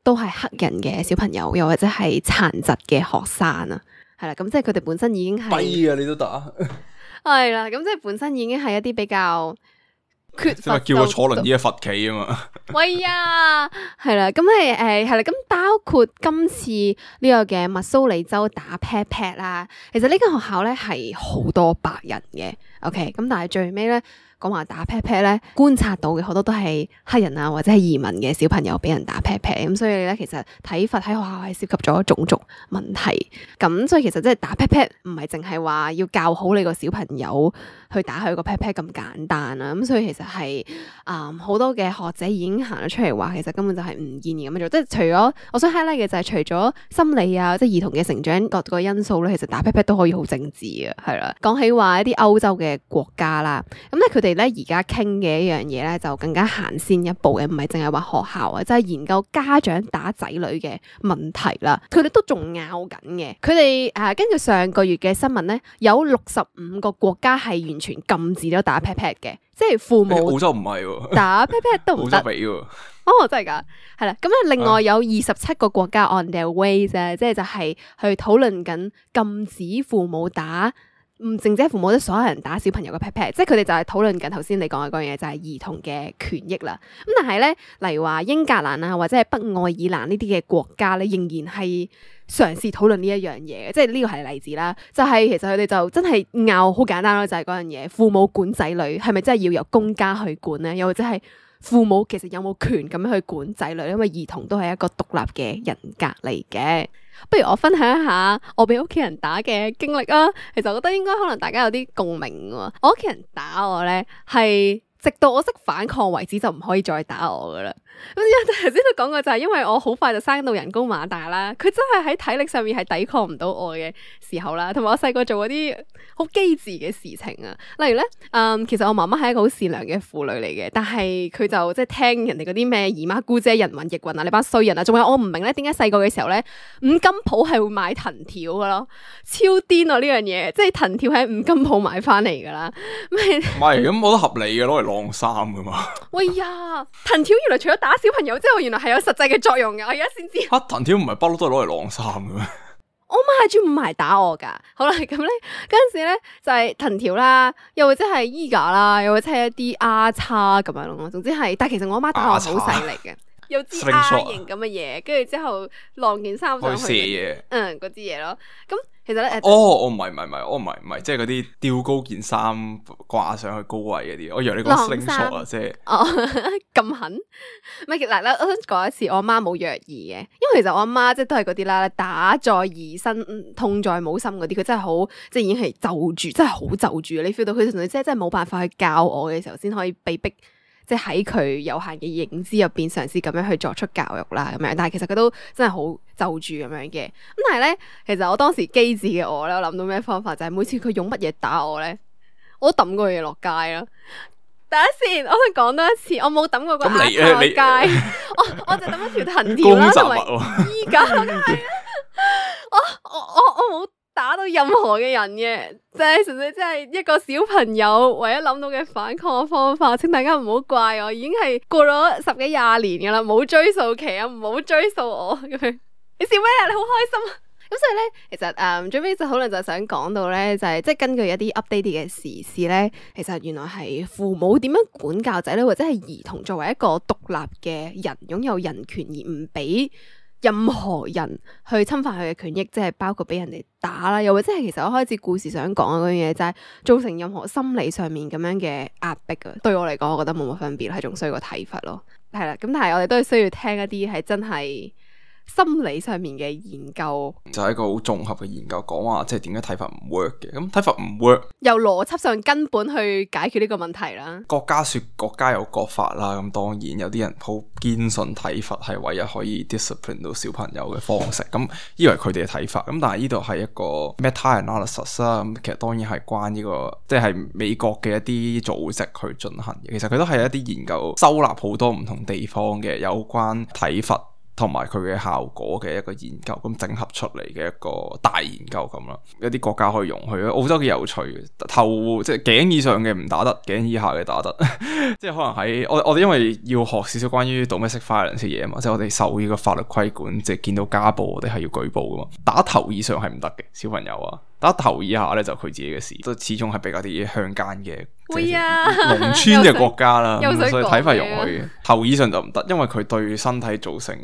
都係黑人嘅小朋友，又或者係殘疾嘅學生啊，係啦，咁即係佢哋本身已經係跛啊，你都打係啦，咁即係本身已經係一啲比較缺乏，叫我坐輪椅嘅罰企啊嘛，喂呀，係啦，咁係誒係啦，咁包括今次呢個嘅密蘇里州打 pat pat 啦，其實呢間學校咧係好多白人嘅 ，OK，咁但係最尾咧講話打 pat pat 咧，觀察到嘅好多都係黑人啊或者係移民嘅小朋友俾人打 pat pat，咁所以咧其實體罰喺學校係涉及咗種族問題，咁所以其實即係打 pat pat 唔係淨係話要教好你個小朋友去打佢個 pat pat 咁簡單啊，咁所以其實係啊好多嘅學者已經行咗出嚟話，其實根本就係唔建議咁樣做，即係除咗我想 highlight 嘅就係除咗心理啊，即係兒童嘅成長各個因素咧，其實打 pat pat 都可以好政治嘅，係啦。講起話一啲歐洲嘅國家啦，咁咧佢哋咧而家傾嘅一樣嘢咧就更加行先一步嘅，唔係淨係話學校啊，即係研究家長打仔女嘅問題啦。佢哋都仲拗緊嘅，佢哋誒根據上個月嘅新聞咧，有六十五個國家係完全禁止咗打 pat pat 嘅，即係父母澳洲唔係喎，打 pat pat 都唔得。澳洲俾喎。哦，真係噶，係啦。咁咧，另外有二十七個國家 on their way 啫，即係就係去討論緊禁止父母打，唔淨止父母，即所有人打小朋友嘅 pat pat，即係佢哋就係討論緊頭先你講嘅嗰樣嘢，就係兒童嘅權益啦。咁但係咧，例如話英格蘭啊，或者係北愛爾蘭呢啲嘅國家咧，仍然係嘗試討論呢一樣嘢，即係呢個係例子啦。就係、是、其實佢哋就真係拗好簡單咯，就係嗰樣嘢，父母管仔女係咪真係要由公家去管咧？又或者係父母其實有冇權咁樣去管仔女？因為兒童都係一個獨立嘅人格嚟嘅。不如我分享一下我俾屋企人打嘅經歷啊。其實我覺得應該可能大家有啲共鳴喎。我屋企人打我咧，係直到我識反抗為止，就唔可以再打我噶啦。咁頭先都講過，就係因為我好快就生到人高馬大啦，佢真係喺體力上面係抵抗唔到我嘅時候啦，同埋我細個做嗰啲好機智嘅事情啊，例如咧，嗯，其實我媽媽係一個好善良嘅婦女嚟嘅，但係佢就即係聽人哋嗰啲咩姨媽姑姐人云亦云啊，你班衰人啊，仲有我唔明咧，點解細個嘅時候咧，五金鋪係會買藤條噶咯，超癲啊呢樣嘢，即係藤條喺五金鋪買翻嚟噶啦，唔係咁我覺得合理嘅，攞嚟晾衫噶嘛。喂呀，藤條原來除咗打小朋友之後，原來係有實際嘅作用嘅，我而家先知。吓，藤條唔係不嬲都係攞嚟晾衫嘅咩？我媽係專門埋打我噶。好啦，咁咧嗰陣時咧就係藤條啦，又或者係衣架啦，又或者係一啲丫叉咁樣咯。總之係，但係其實我阿媽打我好細力嘅，有支丫型咁嘅嘢，跟住之後晾件衫上去，射嘢，嗯，嗰支嘢咯。咁其實咧，哦，我唔係唔係唔係，我唔係唔係，即係嗰啲吊高件衫掛上去高位嗰啲。我以為你講 slingshot 啊，即係哦咁狠。唔係嗱，我想講一次，我阿媽冇虐兒嘅，因為其實我阿媽即係都係嗰啲啦，打在疑身，痛在母心嗰啲，佢真係好，即係已經係就住，真係好就住。你 feel 到佢同你即係真係冇辦法去教我嘅時候，先可以被逼。即係喺佢有限嘅認知入邊嘗試咁樣去作出教育啦，咁樣，但係其實佢都真係好就住咁樣嘅。咁但係咧，其實我當時機智嘅我咧，我諗到咩方法就係、是、每次佢用乜嘢打我咧，我都抌個嘢落街啦。等一先，我想講多一次，我冇抌過個咁你亞你街，我我就抌咗條藤條啦，同埋衣架，梗係啦，我我我我冇打到任何嘅人嘅，即係純粹即係一個小朋友唯一諗到嘅反抗嘅方法，請大家唔好怪我，已經係過咗十幾廿年噶啦，冇追溯期啊，唔好追溯我咁樣。你笑咩啊？你好開心啊！咁所以咧，其實誒、嗯、最尾就可能就想講到咧，就係、是、即係根據一啲 update 嘅時事咧，其實原來係父母點樣管教仔女，或者係兒童作為一個獨立嘅人，擁有人權而唔俾任何人去侵犯佢嘅權益，即係包括俾人哋打啦，又或者係其實我開始故事想講嘅嗰樣嘢，就係造成任何心理上面咁樣嘅壓迫啊。對我嚟講，我覺得冇乜分別，係仲需要個睇法咯。係啦，咁但係我哋都係需要聽一啲係真係心理上面嘅研究，就係一個好綜合嘅研究，講話即係點解體罰唔 work 嘅。咁體罰唔 work，由邏輯上根本去解決呢個問題啦。國家說國家有國法啦，咁當然有啲人好堅信體罰係唯一可以 discipline 到小朋友嘅方式，咁以為佢哋嘅睇法。咁但係呢度係一個 meta analysis 啦，咁其實當然係關呢個即係美國嘅一啲組織去進行嘅。其實佢都係一啲研究收納好多唔同地方嘅有關體罰同埋佢嘅效果嘅一個研究，咁整合出嚟嘅一個大研究咁啦。有啲國家可以容許，澳洲幾有趣嘅，頭即係頸以上嘅唔打得，頸以下嘅打得。即係可能喺我我哋因為要學少少關於 domestic violence 嘅嘢啊嘛，即係我哋受呢個法律規管，即係見到家暴我哋係要舉報噶嘛。打頭以上係唔得嘅，小朋友啊，打頭以下咧就佢自己嘅事，都始終係比較啲鄉間嘅。會啊，農村嘅國家啦，所以體罰容許嘅，頭以上就唔得，因為佢對身體造成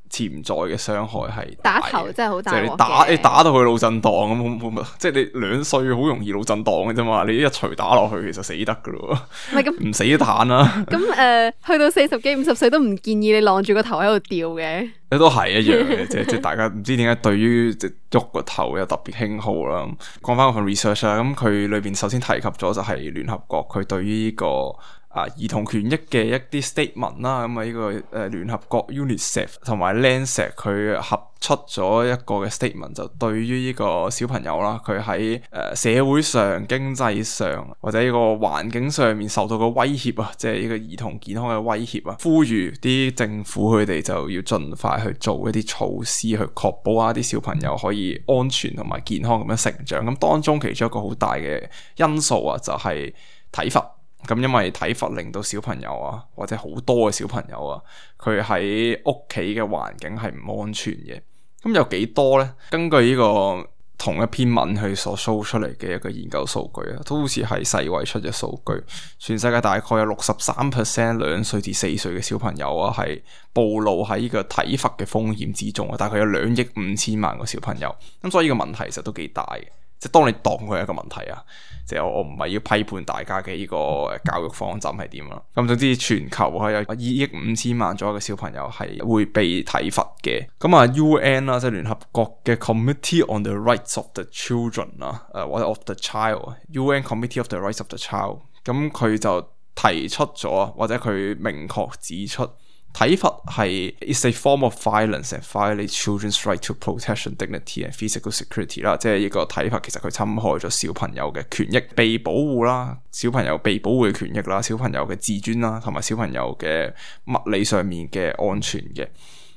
潛在嘅傷害係打頭真係好大鑊嘅，即係你打你打到佢腦震盪咁，即係你兩歲好容易腦震盪嘅啫嘛，你一錘打落去其實死得噶咯，唔係咁唔死都彈啦。咁誒、呃，去到四十幾五十歲都唔建議你晾住個頭喺度吊嘅。你都係一樣嘅，即係即係大家唔知點解對於即係喐個頭有特別興好啦。講翻嗰份 research 啦，咁佢裏邊首先提及咗就係聯合國佢對於呢、這個啊兒童權益嘅一啲 statement 啦，咁啊呢個誒聯合國 UNICEF 同埋 Lancet 佢合出咗一個嘅 statement，就對於呢個小朋友啦，佢喺誒社會上、經濟上或者呢個環境上面受到嘅威脅啊，即係呢個兒童健康嘅威脅啊，呼籲啲政府佢哋就要盡快去做一啲措施去確保啊啲小朋友可以安全同埋健康咁樣成長。咁當中其中一個好大嘅因素啊，就係體罰。咁因為體罰令到小朋友啊，或者好多嘅小朋友啊，佢喺屋企嘅環境係唔安全嘅。咁有幾多呢？根據呢個同一篇文去所 show 出嚟嘅一個研究數據啊，都好似係世衛出嘅數據。全世界大概有六十三 percent 兩歲至四歲嘅小朋友啊，係暴露喺呢個體罰嘅風險之中啊。大概有兩億五千萬個小朋友。咁所以呢個問題其實都幾大嘅。即係當你當佢係一個問題啊，即係我我唔係要批判大家嘅呢個教育方針係點啦。咁總之全球係有二億五千萬左右嘅小朋友係會被體罰嘅。咁啊 U N 啦，即係聯合國嘅 Committee on the Rights of the Children 啊，誒或者 of the Child，U N Committee of the Rights of the Child，咁佢就提出咗，或者佢明確指出。體罰係 is a form of violence and violates children's right to protection, dignity and physical security 啦，即係呢個體罰其實佢侵害咗小朋友嘅權益被保護啦，小朋友被保護嘅權益啦，小朋友嘅自尊啦，同埋小朋友嘅物理上面嘅安全嘅。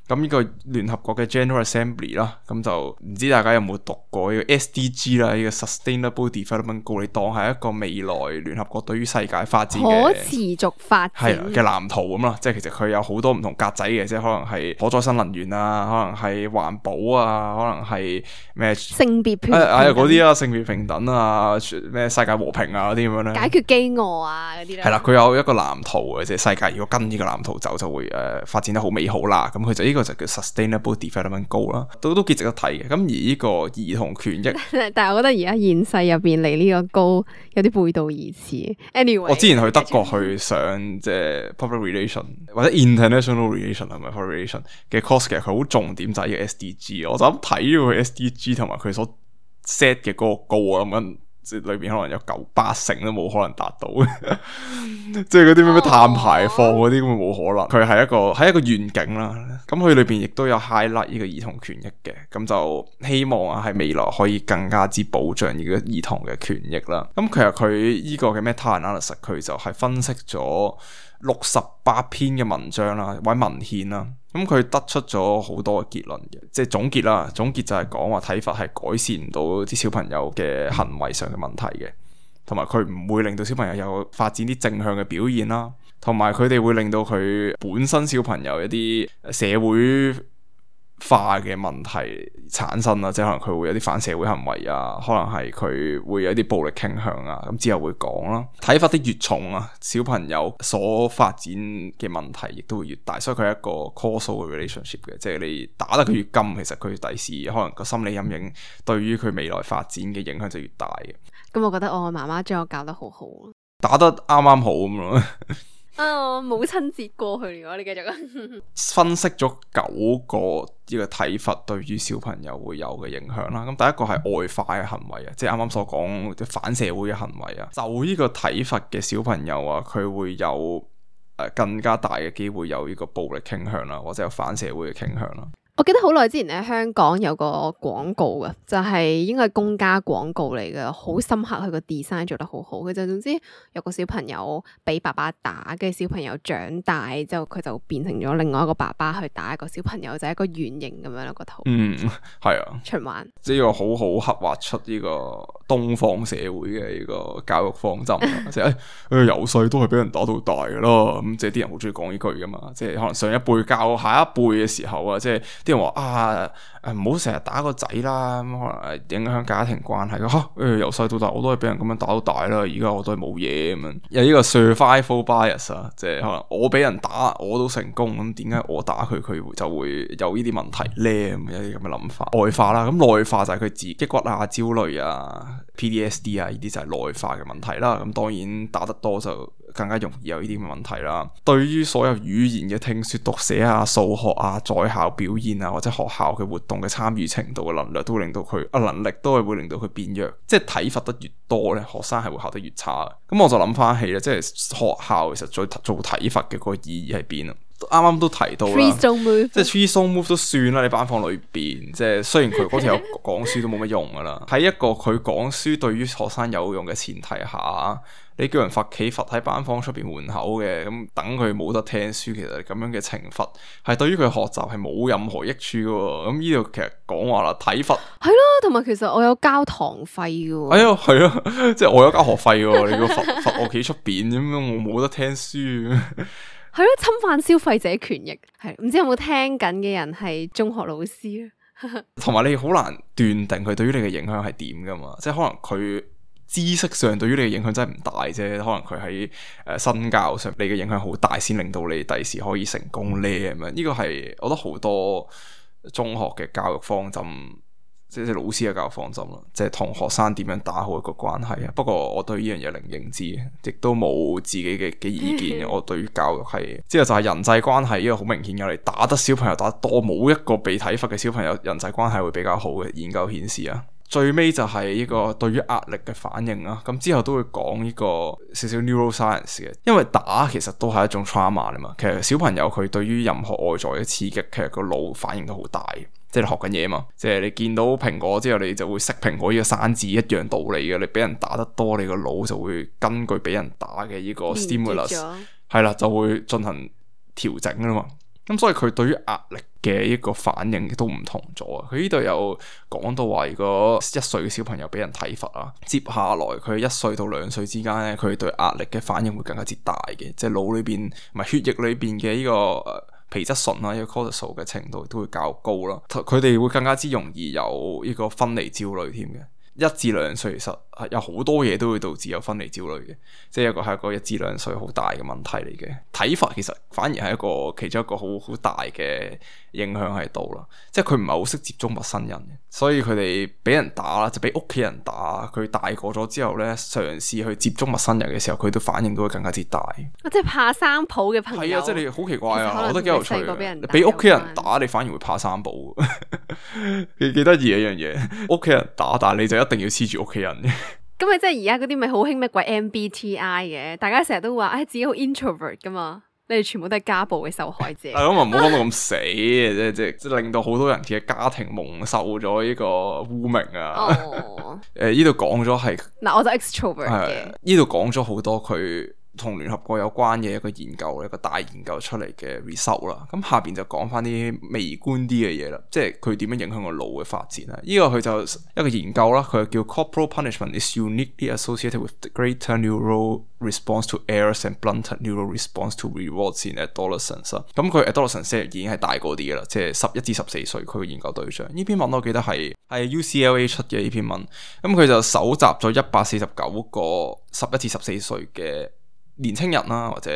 咁呢個聯合國嘅 General Assembly 啦，咁就唔知大家有冇讀過呢個 S D G 啦，呢個 Sustainable Development Goal，你當係一個未來聯合國對於世界發展嘅可持續發展係嘅藍圖咁啦。即係其實佢有好多唔同格仔嘅，即係可能係可再生能源啊，可能係環保啊，可能係咩性別平等誒嗰啲啊，性別平等啊，咩世界和平啊嗰啲咁樣咧，解決飢餓啊嗰啲咧。係啦，佢有一個藍圖嘅，即係世界如果跟呢個藍圖走，就會誒、呃、發展得好美好啦。咁佢就呢個就叫 Sustainable Development Goal 啦，都都幾值得睇嘅。咁而呢個兒童權益，但係我覺得而家現世入邊離呢個高有啲背道而馳。Anyway，我之前去德國去上即係 Public Relation 或者 International Relation 係咪 Public Relation 嘅 course，其實佢好重點就係呢個 S D G。我就咁睇咗佢 S D G 同埋佢所 set 嘅嗰個 goal，我諗緊即係裏邊可能有九八成都冇可能達到即係嗰啲咩咩碳排放嗰啲咁冇可能。佢係一個係一個願景啦。咁佢裏邊亦都有 highlight 呢個兒童權益嘅，咁就希望啊喺未來可以更加之保障呢個兒童嘅權益啦。咁其實佢呢個嘅 meta analysis 佢就係分析咗六十八篇嘅文章啦，或者文獻啦。咁佢得出咗好多嘅結論嘅，即係總結啦。總結就係講話體罰係改善唔到啲小朋友嘅行為上嘅問題嘅，同埋佢唔會令到小朋友有發展啲正向嘅表現啦，同埋佢哋會令到佢本身小朋友一啲社會化嘅問題產生啦，即係可能佢會有啲反社會行為啊，可能係佢會有啲暴力傾向啊，咁之後會講啦。體罰得越重啊，小朋友所發展嘅問題亦都會越大，所以佢係一個 causal 嘅 relationship 嘅，即係你打得佢越金，其實佢第時可能個心理陰影對於佢未來發展嘅影響就越大嘅。咁我覺得我媽媽將我教得好好，打得啱啱好咁咯。啊！我母親節過去咗，你繼續啊！分析咗九個呢個體罰對於小朋友會有嘅影響啦。咁第一個係外化嘅行為啊，即係啱啱所講嘅反社會嘅行為啊。就呢個體罰嘅小朋友啊，佢會有誒、呃、更加大嘅機會有呢個暴力傾向啦，或者有反社會嘅傾向啦。我記得好耐之前咧，香港有個廣告嘅，就係、是、應該係公家廣告嚟嘅，好深刻，佢個 design 做得好好。佢就總之有個小朋友俾爸爸打，跟住小朋友長大之後，佢就變成咗另外一個爸爸去打一個小朋友，就係、是、一個圓形咁樣咯個圖。嗯，係啊，循環。呢個好好刻畫出呢個東方社會嘅呢個教育方針，即係誒由細都係俾人打到大噶啦。咁即係啲人好中意講呢句噶嘛，即係可能上一輩教下一輩嘅時候啊，即係。啲人話啊，誒唔好成日打個仔啦，咁可能影響家庭關係。吓、啊，誒由細到大我都係俾人咁樣打到大啦，而家我都係冇嘢咁樣。有呢個 survival bias 啊，即係可能我俾人打我都成功，咁點解我打佢佢就會有呢啲問題咧？咁有啲咁嘅諗法。外化啦，咁內化就係佢自抑鬱啊、焦慮啊、P T S D 啊，呢啲就係內化嘅問題啦。咁當然打得多就更加容易有呢啲咁嘅問題啦。對於所有語言嘅聽說讀寫啊、數學啊、在校表現啊或者學校嘅活動嘅參與程度嘅能力，都會令到佢啊能力都係會令到佢變弱。即係體罰得越多咧，學生係會考得越差。咁我就諗翻起咧，即係學校其實做做體罰嘅個意義喺邊啊？啱啱都提到啦，即係 three stone move 都算啦。你班房裏邊，即係雖然佢嗰條友講書都冇乜用噶啦，喺一個佢講書對於學生有用嘅前提下，你叫人罰企罰喺班房出邊門口嘅，咁等佢冇得聽書，其實咁樣嘅懲罰係對於佢學習係冇任何益處噶。咁呢度其實講話啦，體罰係咯，同埋其實我有交堂費噶。哎呀，係啊，即係我有交學費噶，你個罰罰我企出邊咁樣，我冇得聽書。係咯，侵犯消費者權益，係唔知有冇聽緊嘅人係中學老師啊？同埋你好難斷定佢對於你嘅影響係點噶嘛？即係可能佢知識上對於你嘅影響真係唔大啫，可能佢喺誒身教上你嘅影響好大，先令到你第時可以成功咧咁樣。呢個係我覺得好多中學嘅教育方針。即係老師嘅教育方針咯，即係同學生點樣打好一個關係啊。不過我對呢樣嘢零認知，亦都冇自己嘅嘅意見。我對於教育係，之後就係人際關係呢個好明顯嘅，你打得小朋友打得多，冇一個被體罰嘅小朋友人際關係會比較好嘅。研究顯示啊，最尾就係呢個對於壓力嘅反應啦。咁之後都會講呢個少少 neuroscience 嘅，因為打其實都係一種 trauma 嚟嘛。其實小朋友佢對於任何外在嘅刺激，其實個腦反應都好大。即係你學緊嘢嘛，即係你見到蘋果之後，你就會識蘋果呢個生字，一樣道理嘅。你俾人打得多，你個腦就會根據俾人打嘅呢個 stimulus 係啦，就會進行調整啦嘛。咁所以佢對於壓力嘅一個反應都唔同咗啊。佢呢度有講到話，如果一歲嘅小朋友俾人體罰啊，接下來佢一歲到兩歲之間咧，佢對壓力嘅反應會更加之大嘅，即係腦裏邊唔係血液裏邊嘅呢個皮質醇啦，呢個 cortisol 嘅程度都會較高啦，佢哋會更加之容易有呢個分離焦慮添嘅。一至兩歲其實係有好多嘢都會導致有分離焦慮嘅，即係一個係一個一至兩歲好大嘅問題嚟嘅。體罰其實反而係一個其中一個好好大嘅影響喺度啦，即係佢唔係好識接觸陌生人嘅，所以佢哋俾人打啦，就俾屋企人打。佢大個咗之後咧，嘗試去接觸陌生人嘅時候，佢都反應都會更加之大。即係怕生抱嘅朋友，係啊，即係你好奇怪啊，我覺得幾有趣。俾屋企人打，你反而會怕生抱，幾幾得意一樣嘢。屋企人打，但係你就一定要黐住屋企人。咁咪即係而家嗰啲咪好興咩鬼 M B T I 嘅，大家成日都話，唉、哎、自己好 introvert 噶嘛，你哋全部都係家暴嘅受害者。係咁啊，唔好講到咁死嘅，即係即係即係令到好多人嘅家庭蒙受咗呢個污名啊。哦，誒呢度講咗係嗱，我就 extrovert 嘅。呢度講咗好多佢同聯合國有關嘅一個研究，一個大研究出嚟嘅 result 啦。咁下邊就講翻啲微觀啲嘅嘢啦，即係佢點樣影響個腦嘅發展啦。呢、這個佢就一個研究啦，佢叫 corporal punishment is uniquely associated with the greater neural response to errors and blunter neural response to rewards in adolescence 啦。咁佢 adolescence 已經係大個啲嘅啦，即係十一至十四歲佢嘅研究對象。呢篇文我記得係係 U C L A 出嘅呢篇文，咁佢就搜集咗一百四十九個十一至十四歲嘅年青人啦，或者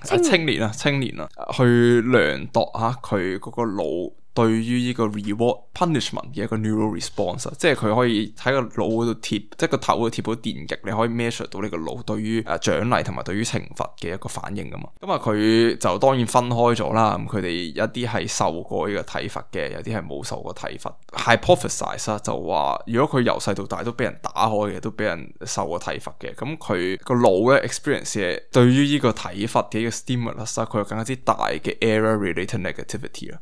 青年青年啦，青年啦，去量度下佢嗰個腦對於呢個 reward punishment 嘅一個 neural response， 即係佢可以喺個腦嗰度貼，即係個頭嗰度貼到電極，你可以 measure 到呢個腦對於誒獎勵同埋對於懲罰嘅一個反應噶嘛。咁啊，佢就當然分開咗啦。咁佢哋一啲係受過呢個體罰嘅，有啲係冇受過體罰。hypothesize 啦，就話如果佢由細到大都俾人打開嘅，都俾人受過體罰嘅，咁佢個腦咧 experience 嘅對於呢個體罰嘅一個 stimulus 啦，佢有更加之大嘅 error related negativity 啦。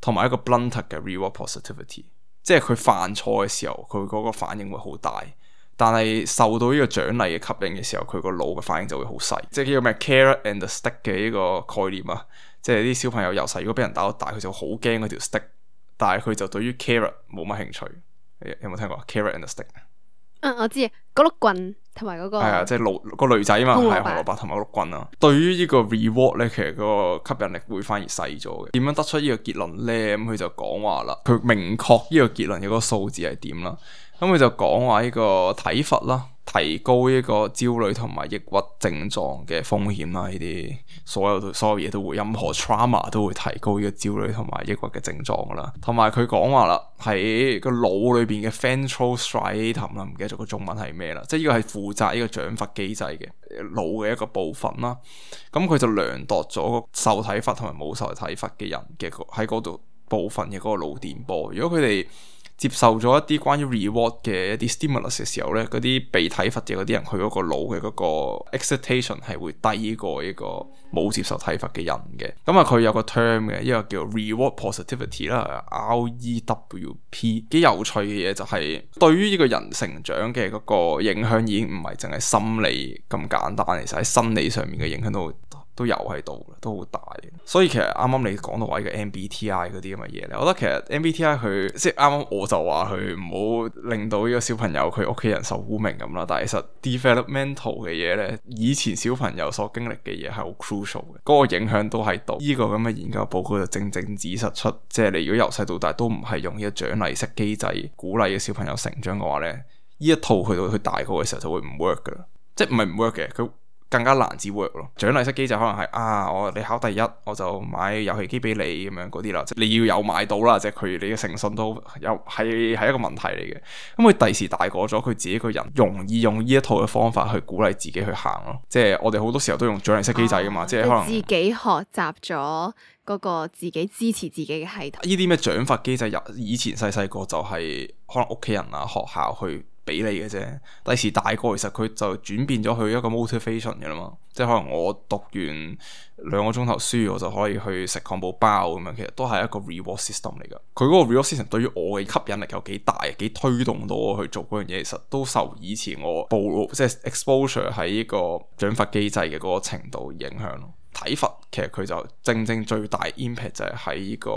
同埋一個 blunter 嘅 reward positivity， 即係佢犯錯嘅時候，佢嗰個反應會好大，但係受到呢個獎勵嘅吸引嘅時候，佢個腦嘅反應就會好細。即係叫咩 carrot and stick 嘅呢個概念啊，即係啲小朋友由細如果俾人打到大，佢就好驚嗰條 stick， 但係佢就對於 carrot 冇乜興趣。有冇聽過 carrot and stick？嗯，我知啊，嗰碌棍同埋嗰個係啊，即係驢個驢仔嘛，係紅蘿蔔同埋個碌棍啊。對於呢個 reward 咧，其實嗰個吸引力會反而細咗嘅。點樣得出呢個結論咧？咁佢就講話啦，佢明確呢個結論嘅嗰個數字係點啦。咁佢就講話呢個體罰啦，提高呢個焦慮同埋抑鬱症狀嘅風險啦。呢啲所有所有嘢都會，任何 trauma 都會提高呢個焦慮同埋抑鬱嘅症狀噶啦。同埋佢講話啦，喺個腦裏邊嘅 ventral striatum 啦，唔記得咗個中文係咩啦，即係呢個係負責呢個獎罰機制嘅腦嘅一個部分啦。咁佢就量度咗受體罰同埋冇受體罰嘅人嘅喺嗰度部分嘅嗰個腦電波。如果佢哋接受咗一啲關於 reward 嘅一啲 stimulus 嘅時候咧，嗰啲被體罰嘅嗰啲人，佢嗰個腦嘅嗰個 excitation 係會低過呢個冇接受體罰嘅人嘅。咁啊，佢有個 term 嘅，一個叫 reward positivity 啦 ，R E W P， 幾有趣嘅嘢就係、是、對於呢個人成長嘅嗰個影響已經唔係淨係心理咁簡單，其實喺生理上面嘅影響都都有喺度，都好大。所以其實啱啱你講到話呢個 M B T I 嗰啲咁嘅嘢咧，我覺得其實 M B T I 佢即係啱啱我就話佢唔好令到呢個小朋友佢屋企人受污名咁啦。但係其實 developmental 嘅嘢咧，以前小朋友所經歷嘅嘢係好 crucial 嘅，嗰個影響都喺度。呢個咁嘅研究報告就正正指實出，即係你如果由細到大都唔係用呢個獎勵式機制鼓勵嘅小朋友成長嘅話咧，呢一套去到佢大個嘅時候就會唔 work 噶啦，即係唔係唔 work 嘅，佢更加難至 work 咯。獎勵式機制可能係啊，我你考第一我就買遊戲機俾你咁樣嗰啲啦，即係你要有買到啦，即係佢你嘅誠信都有係係一個問題嚟嘅。咁佢第時大個咗，佢自己個人容易用呢一套嘅方法去鼓勵自己去行咯。即係我哋好多時候都用獎勵式機制噶嘛，哦、即係可能自己學習咗嗰個自己支持自己嘅系統。呢啲咩獎罰機制，以前細細個就係可能屋企人啊、學校去俾你嘅啫，第時大個其實佢就轉變咗去一個 motivation 嘅啦嘛，即係可能我讀完兩個鐘頭書，我就可以去食漢堡包咁樣，其實都係一個 reward system 嚟噶。佢嗰個 reward system 對於我嘅吸引力有幾大，幾推動到我去做嗰樣嘢，其實都受以前我暴露即係 exposure 喺呢個獎罰機制嘅嗰個程度影響咯。體罰其實佢就正正最大 impact 就係喺呢個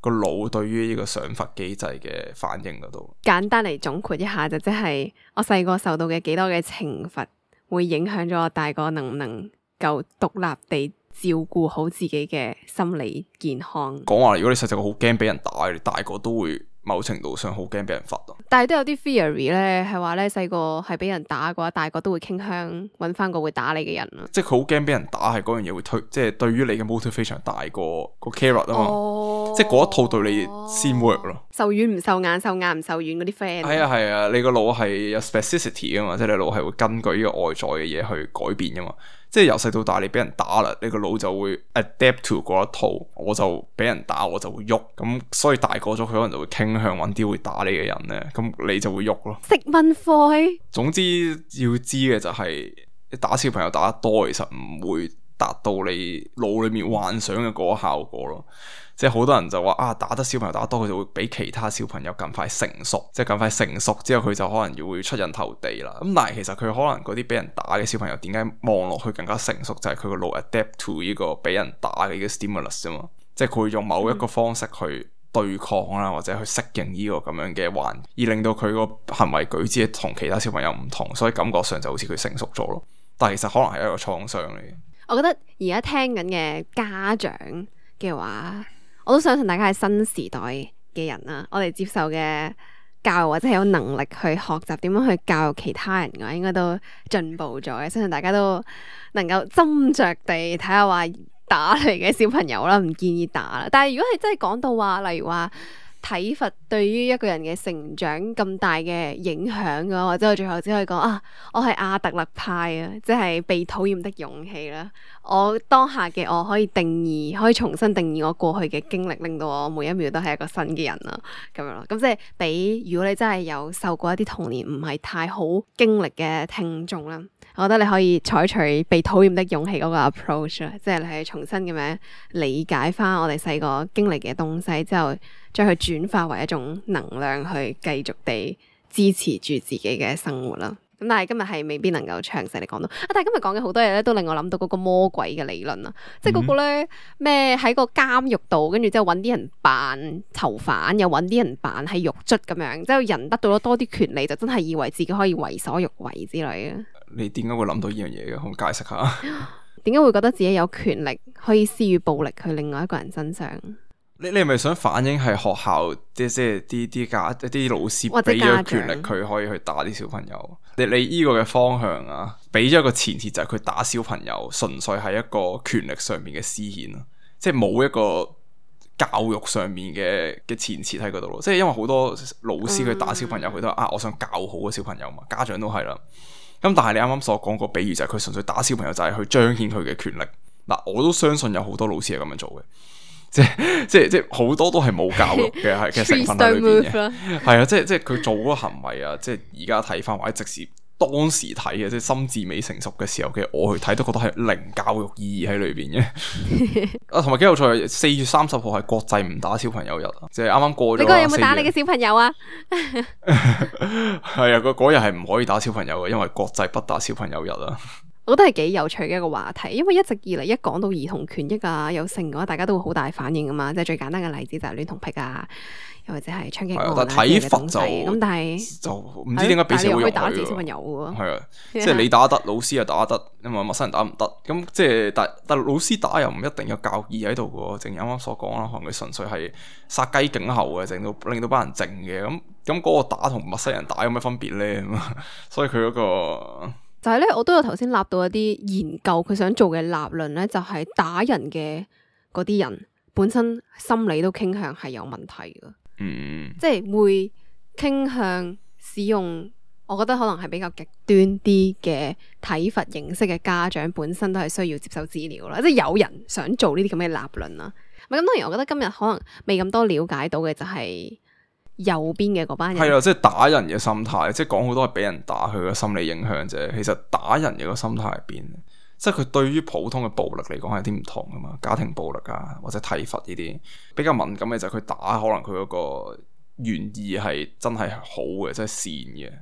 個腦對於呢個賞罰機制嘅反應嗰度。簡單嚟總括一下就即係我細個受到嘅幾多嘅懲罰，會影響咗我大個能唔能夠獨立地照顧好自己嘅心理健康。講話如果你細細個好驚俾人打，你大個都會某程度上好驚俾人罰咯。但係都有啲 theory 咧，係話咧細個係俾人打嘅話，大個都會傾向揾翻個會打你嘅人咯。即係佢好驚俾人打，係嗰樣嘢會推，即係對於你嘅 motivation 大過個 carrot 啊嘛。哦、即係嗰一套對你先 work 咯。受軟唔受硬，受硬唔受軟嗰啲 friend。係啊係啊，你個腦係有 specificity 噶嘛，即係你腦係會根據呢個外在嘅嘢去改變噶嘛。即係由細到大你俾人打啦，你個腦就會 adapt to 嗰一套，我就俾人打我就會喐，咁所以大個咗佢可能就會傾向揾啲會打你嘅人咧，咁你就會喐咯。食蚊灰。總之要知嘅就係、是、打小朋友打得多，其實唔會達到你腦裏面幻想嘅嗰個效果咯。即係好多人就話啊，打得小朋友打得多，佢就會比其他小朋友更快成熟，即係更快成熟之後佢就可能要會出人頭地啦。咁但係其實佢可能嗰啲俾人打嘅小朋友點解望落去更加成熟，就係佢個腦 adapt to 呢個俾人打嘅呢個 stimulus 啫嘛。即係佢會用某一個方式去對抗啦，或者去適應呢個咁樣嘅環，而令到佢個行為舉止同其他小朋友唔同，所以感覺上就好似佢成熟咗咯。但係其實可能係一個創傷嚟嘅。我覺得而家聽緊嘅家長嘅話，我都相信大家係新時代嘅人啦。我哋接受嘅教育或者係有能力去學習點樣去教育其他人嘅話，應該都進步咗嘅。相信大家都能夠斟酌地睇下話打嚟嘅小朋友啦，唔建議打啦。但係如果係真係講到話，例如話體罰對於一個人嘅成長咁大嘅影響嘅話，或者我最後只可以講啊，我係阿特勒派啊，即係被討厭的勇氣啦。我當下嘅我可以定義，可以重新定義我過去嘅經歷，令到我每一秒都係一個新嘅人啦，咁樣咯。咁即係俾如果你真係有受過一啲童年唔係太好經歷嘅聽眾啦，我覺得你可以採取被討厭的勇氣嗰個 approach 啦，即係你係重新咁樣理解翻我哋細個經歷嘅東西之後，將佢轉化為一種能量去繼續地支持住自己嘅生活啦。咁但係今日係未必能夠詳細地講到啊！但係今日講嘅好多嘢咧，都令我諗到嗰個魔鬼嘅理論啊，即係嗰個咧咩喺個監獄度，跟住之後揾啲人扮囚犯，又揾啲人扮係獄卒咁樣，之後人得到咗多啲權利，就真係以為自己可以為所欲為之類嘅。你點解會諗到呢樣嘢嘅？可唔可以解釋下？點解會覺得自己有權力可以施予暴力去另外一個人身上？你你係咪想反映係學校即即係啲啲家一啲老師俾咗權力佢可以去打啲小朋友？你你依個嘅方向啊，俾咗一個前提就係佢打小朋友純粹係一個權力上面嘅施顯咯，即係冇一個教育上面嘅嘅前設喺嗰度咯。即係因為好多老師佢打小朋友佢都話啊，我想教好個小朋友嘛，家長都係啦。咁但係你啱啱所講個比喻就係佢純粹打小朋友就係去彰顯佢嘅權力。嗱，我都相信有好多老師係咁樣做嘅。即係即係即係好多都係冇教育嘅係嘅成分喺裏邊嘅，係啊，即係即係佢做嗰個行為啊，即係而家睇翻或者即使當時睇嘅，即係心智未成熟嘅時候嘅我去睇，都覺得係零教育意義喺裏邊嘅。啊，同埋幾有趣，四月三十號係國際唔打小朋友日啊，即係啱啱過咗。你嗰日有冇打你嘅小朋友啊？係啊，嗰日係唔可以打小朋友嘅，因為國際不打小朋友日啊。我覺得係幾有趣嘅一個話題，因為一直以嚟一講到兒童權益啊、有性嘅話，大家都會好大反應噶嘛。即係最簡單嘅例子就係戀童癖啊，又或者係槍擊案啊嘅東西。咁但係就唔知點解俾社會容許打自己小朋友嘅。係啊，即係你打得，老師又打得，因為陌生人打唔得。咁即係但但老師打又唔一定有教義喺度嘅，正如啱啱所講啦，可能佢純粹係殺雞儆猴嘅，令到令到班人靜嘅。咁咁嗰個打同陌生人打有咩分別咧？所以佢嗰個。就係咧，我都有頭先立到一啲研究，佢想做嘅立論咧，就係打人嘅嗰啲人本身心理都傾向係有問題嘅，嗯，即係會傾向使用，我覺得可能係比較極端啲嘅體罰形式嘅家長，本身都係需要接受治療啦。即係有人想做呢啲咁嘅立論啦。咁當然，我覺得今日可能未咁多了解到嘅就係。右邊嘅嗰班人係啊，即係打人嘅心態，即係講好多係俾人打佢嘅心理影響啫。其實打人嘅個心態係邊？即係佢對於普通嘅暴力嚟講係啲唔同噶嘛，家庭暴力啊或者體罰呢啲比較敏感嘅就係佢打，可能佢嗰個原意係真係好嘅，即係善嘅，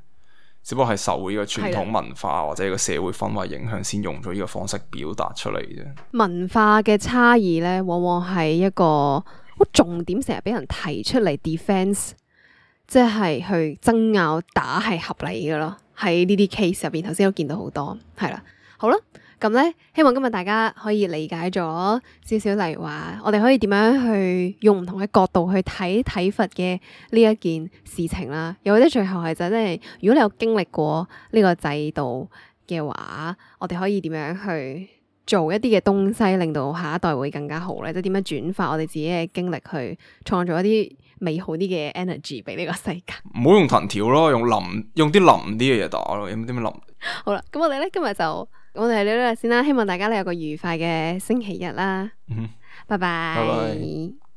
只不過係受呢個傳統文化或者呢個社會氛圍影響，先用咗呢個方式表達出嚟啫。文化嘅差異咧，往往係一個好重點，成日俾人提出嚟 defense。即係去爭拗打係合理嘅咯，喺呢啲 case 入邊，頭先都見到好多，係啦，好啦，咁咧，希望今日大家可以理解咗少少，例如話我哋可以點樣去用唔同嘅角度去睇體罰嘅呢一件事情啦，又或者最後係就係、是，如果你有經歷過呢個制度嘅話，我哋可以點樣去做一啲嘅東西，令到下一代會更加好咧？即係點樣轉化我哋自己嘅經歷去創造一啲美好啲嘅 energy 俾呢個世界。唔好用藤條咯，用腍用啲腍啲嘅嘢打咯，有冇啲咩腍？好啦，咁我哋咧今日就我哋嚟到呢度先啦，希望大家咧有個愉快嘅星期日啦，嗯，拜拜。拜拜。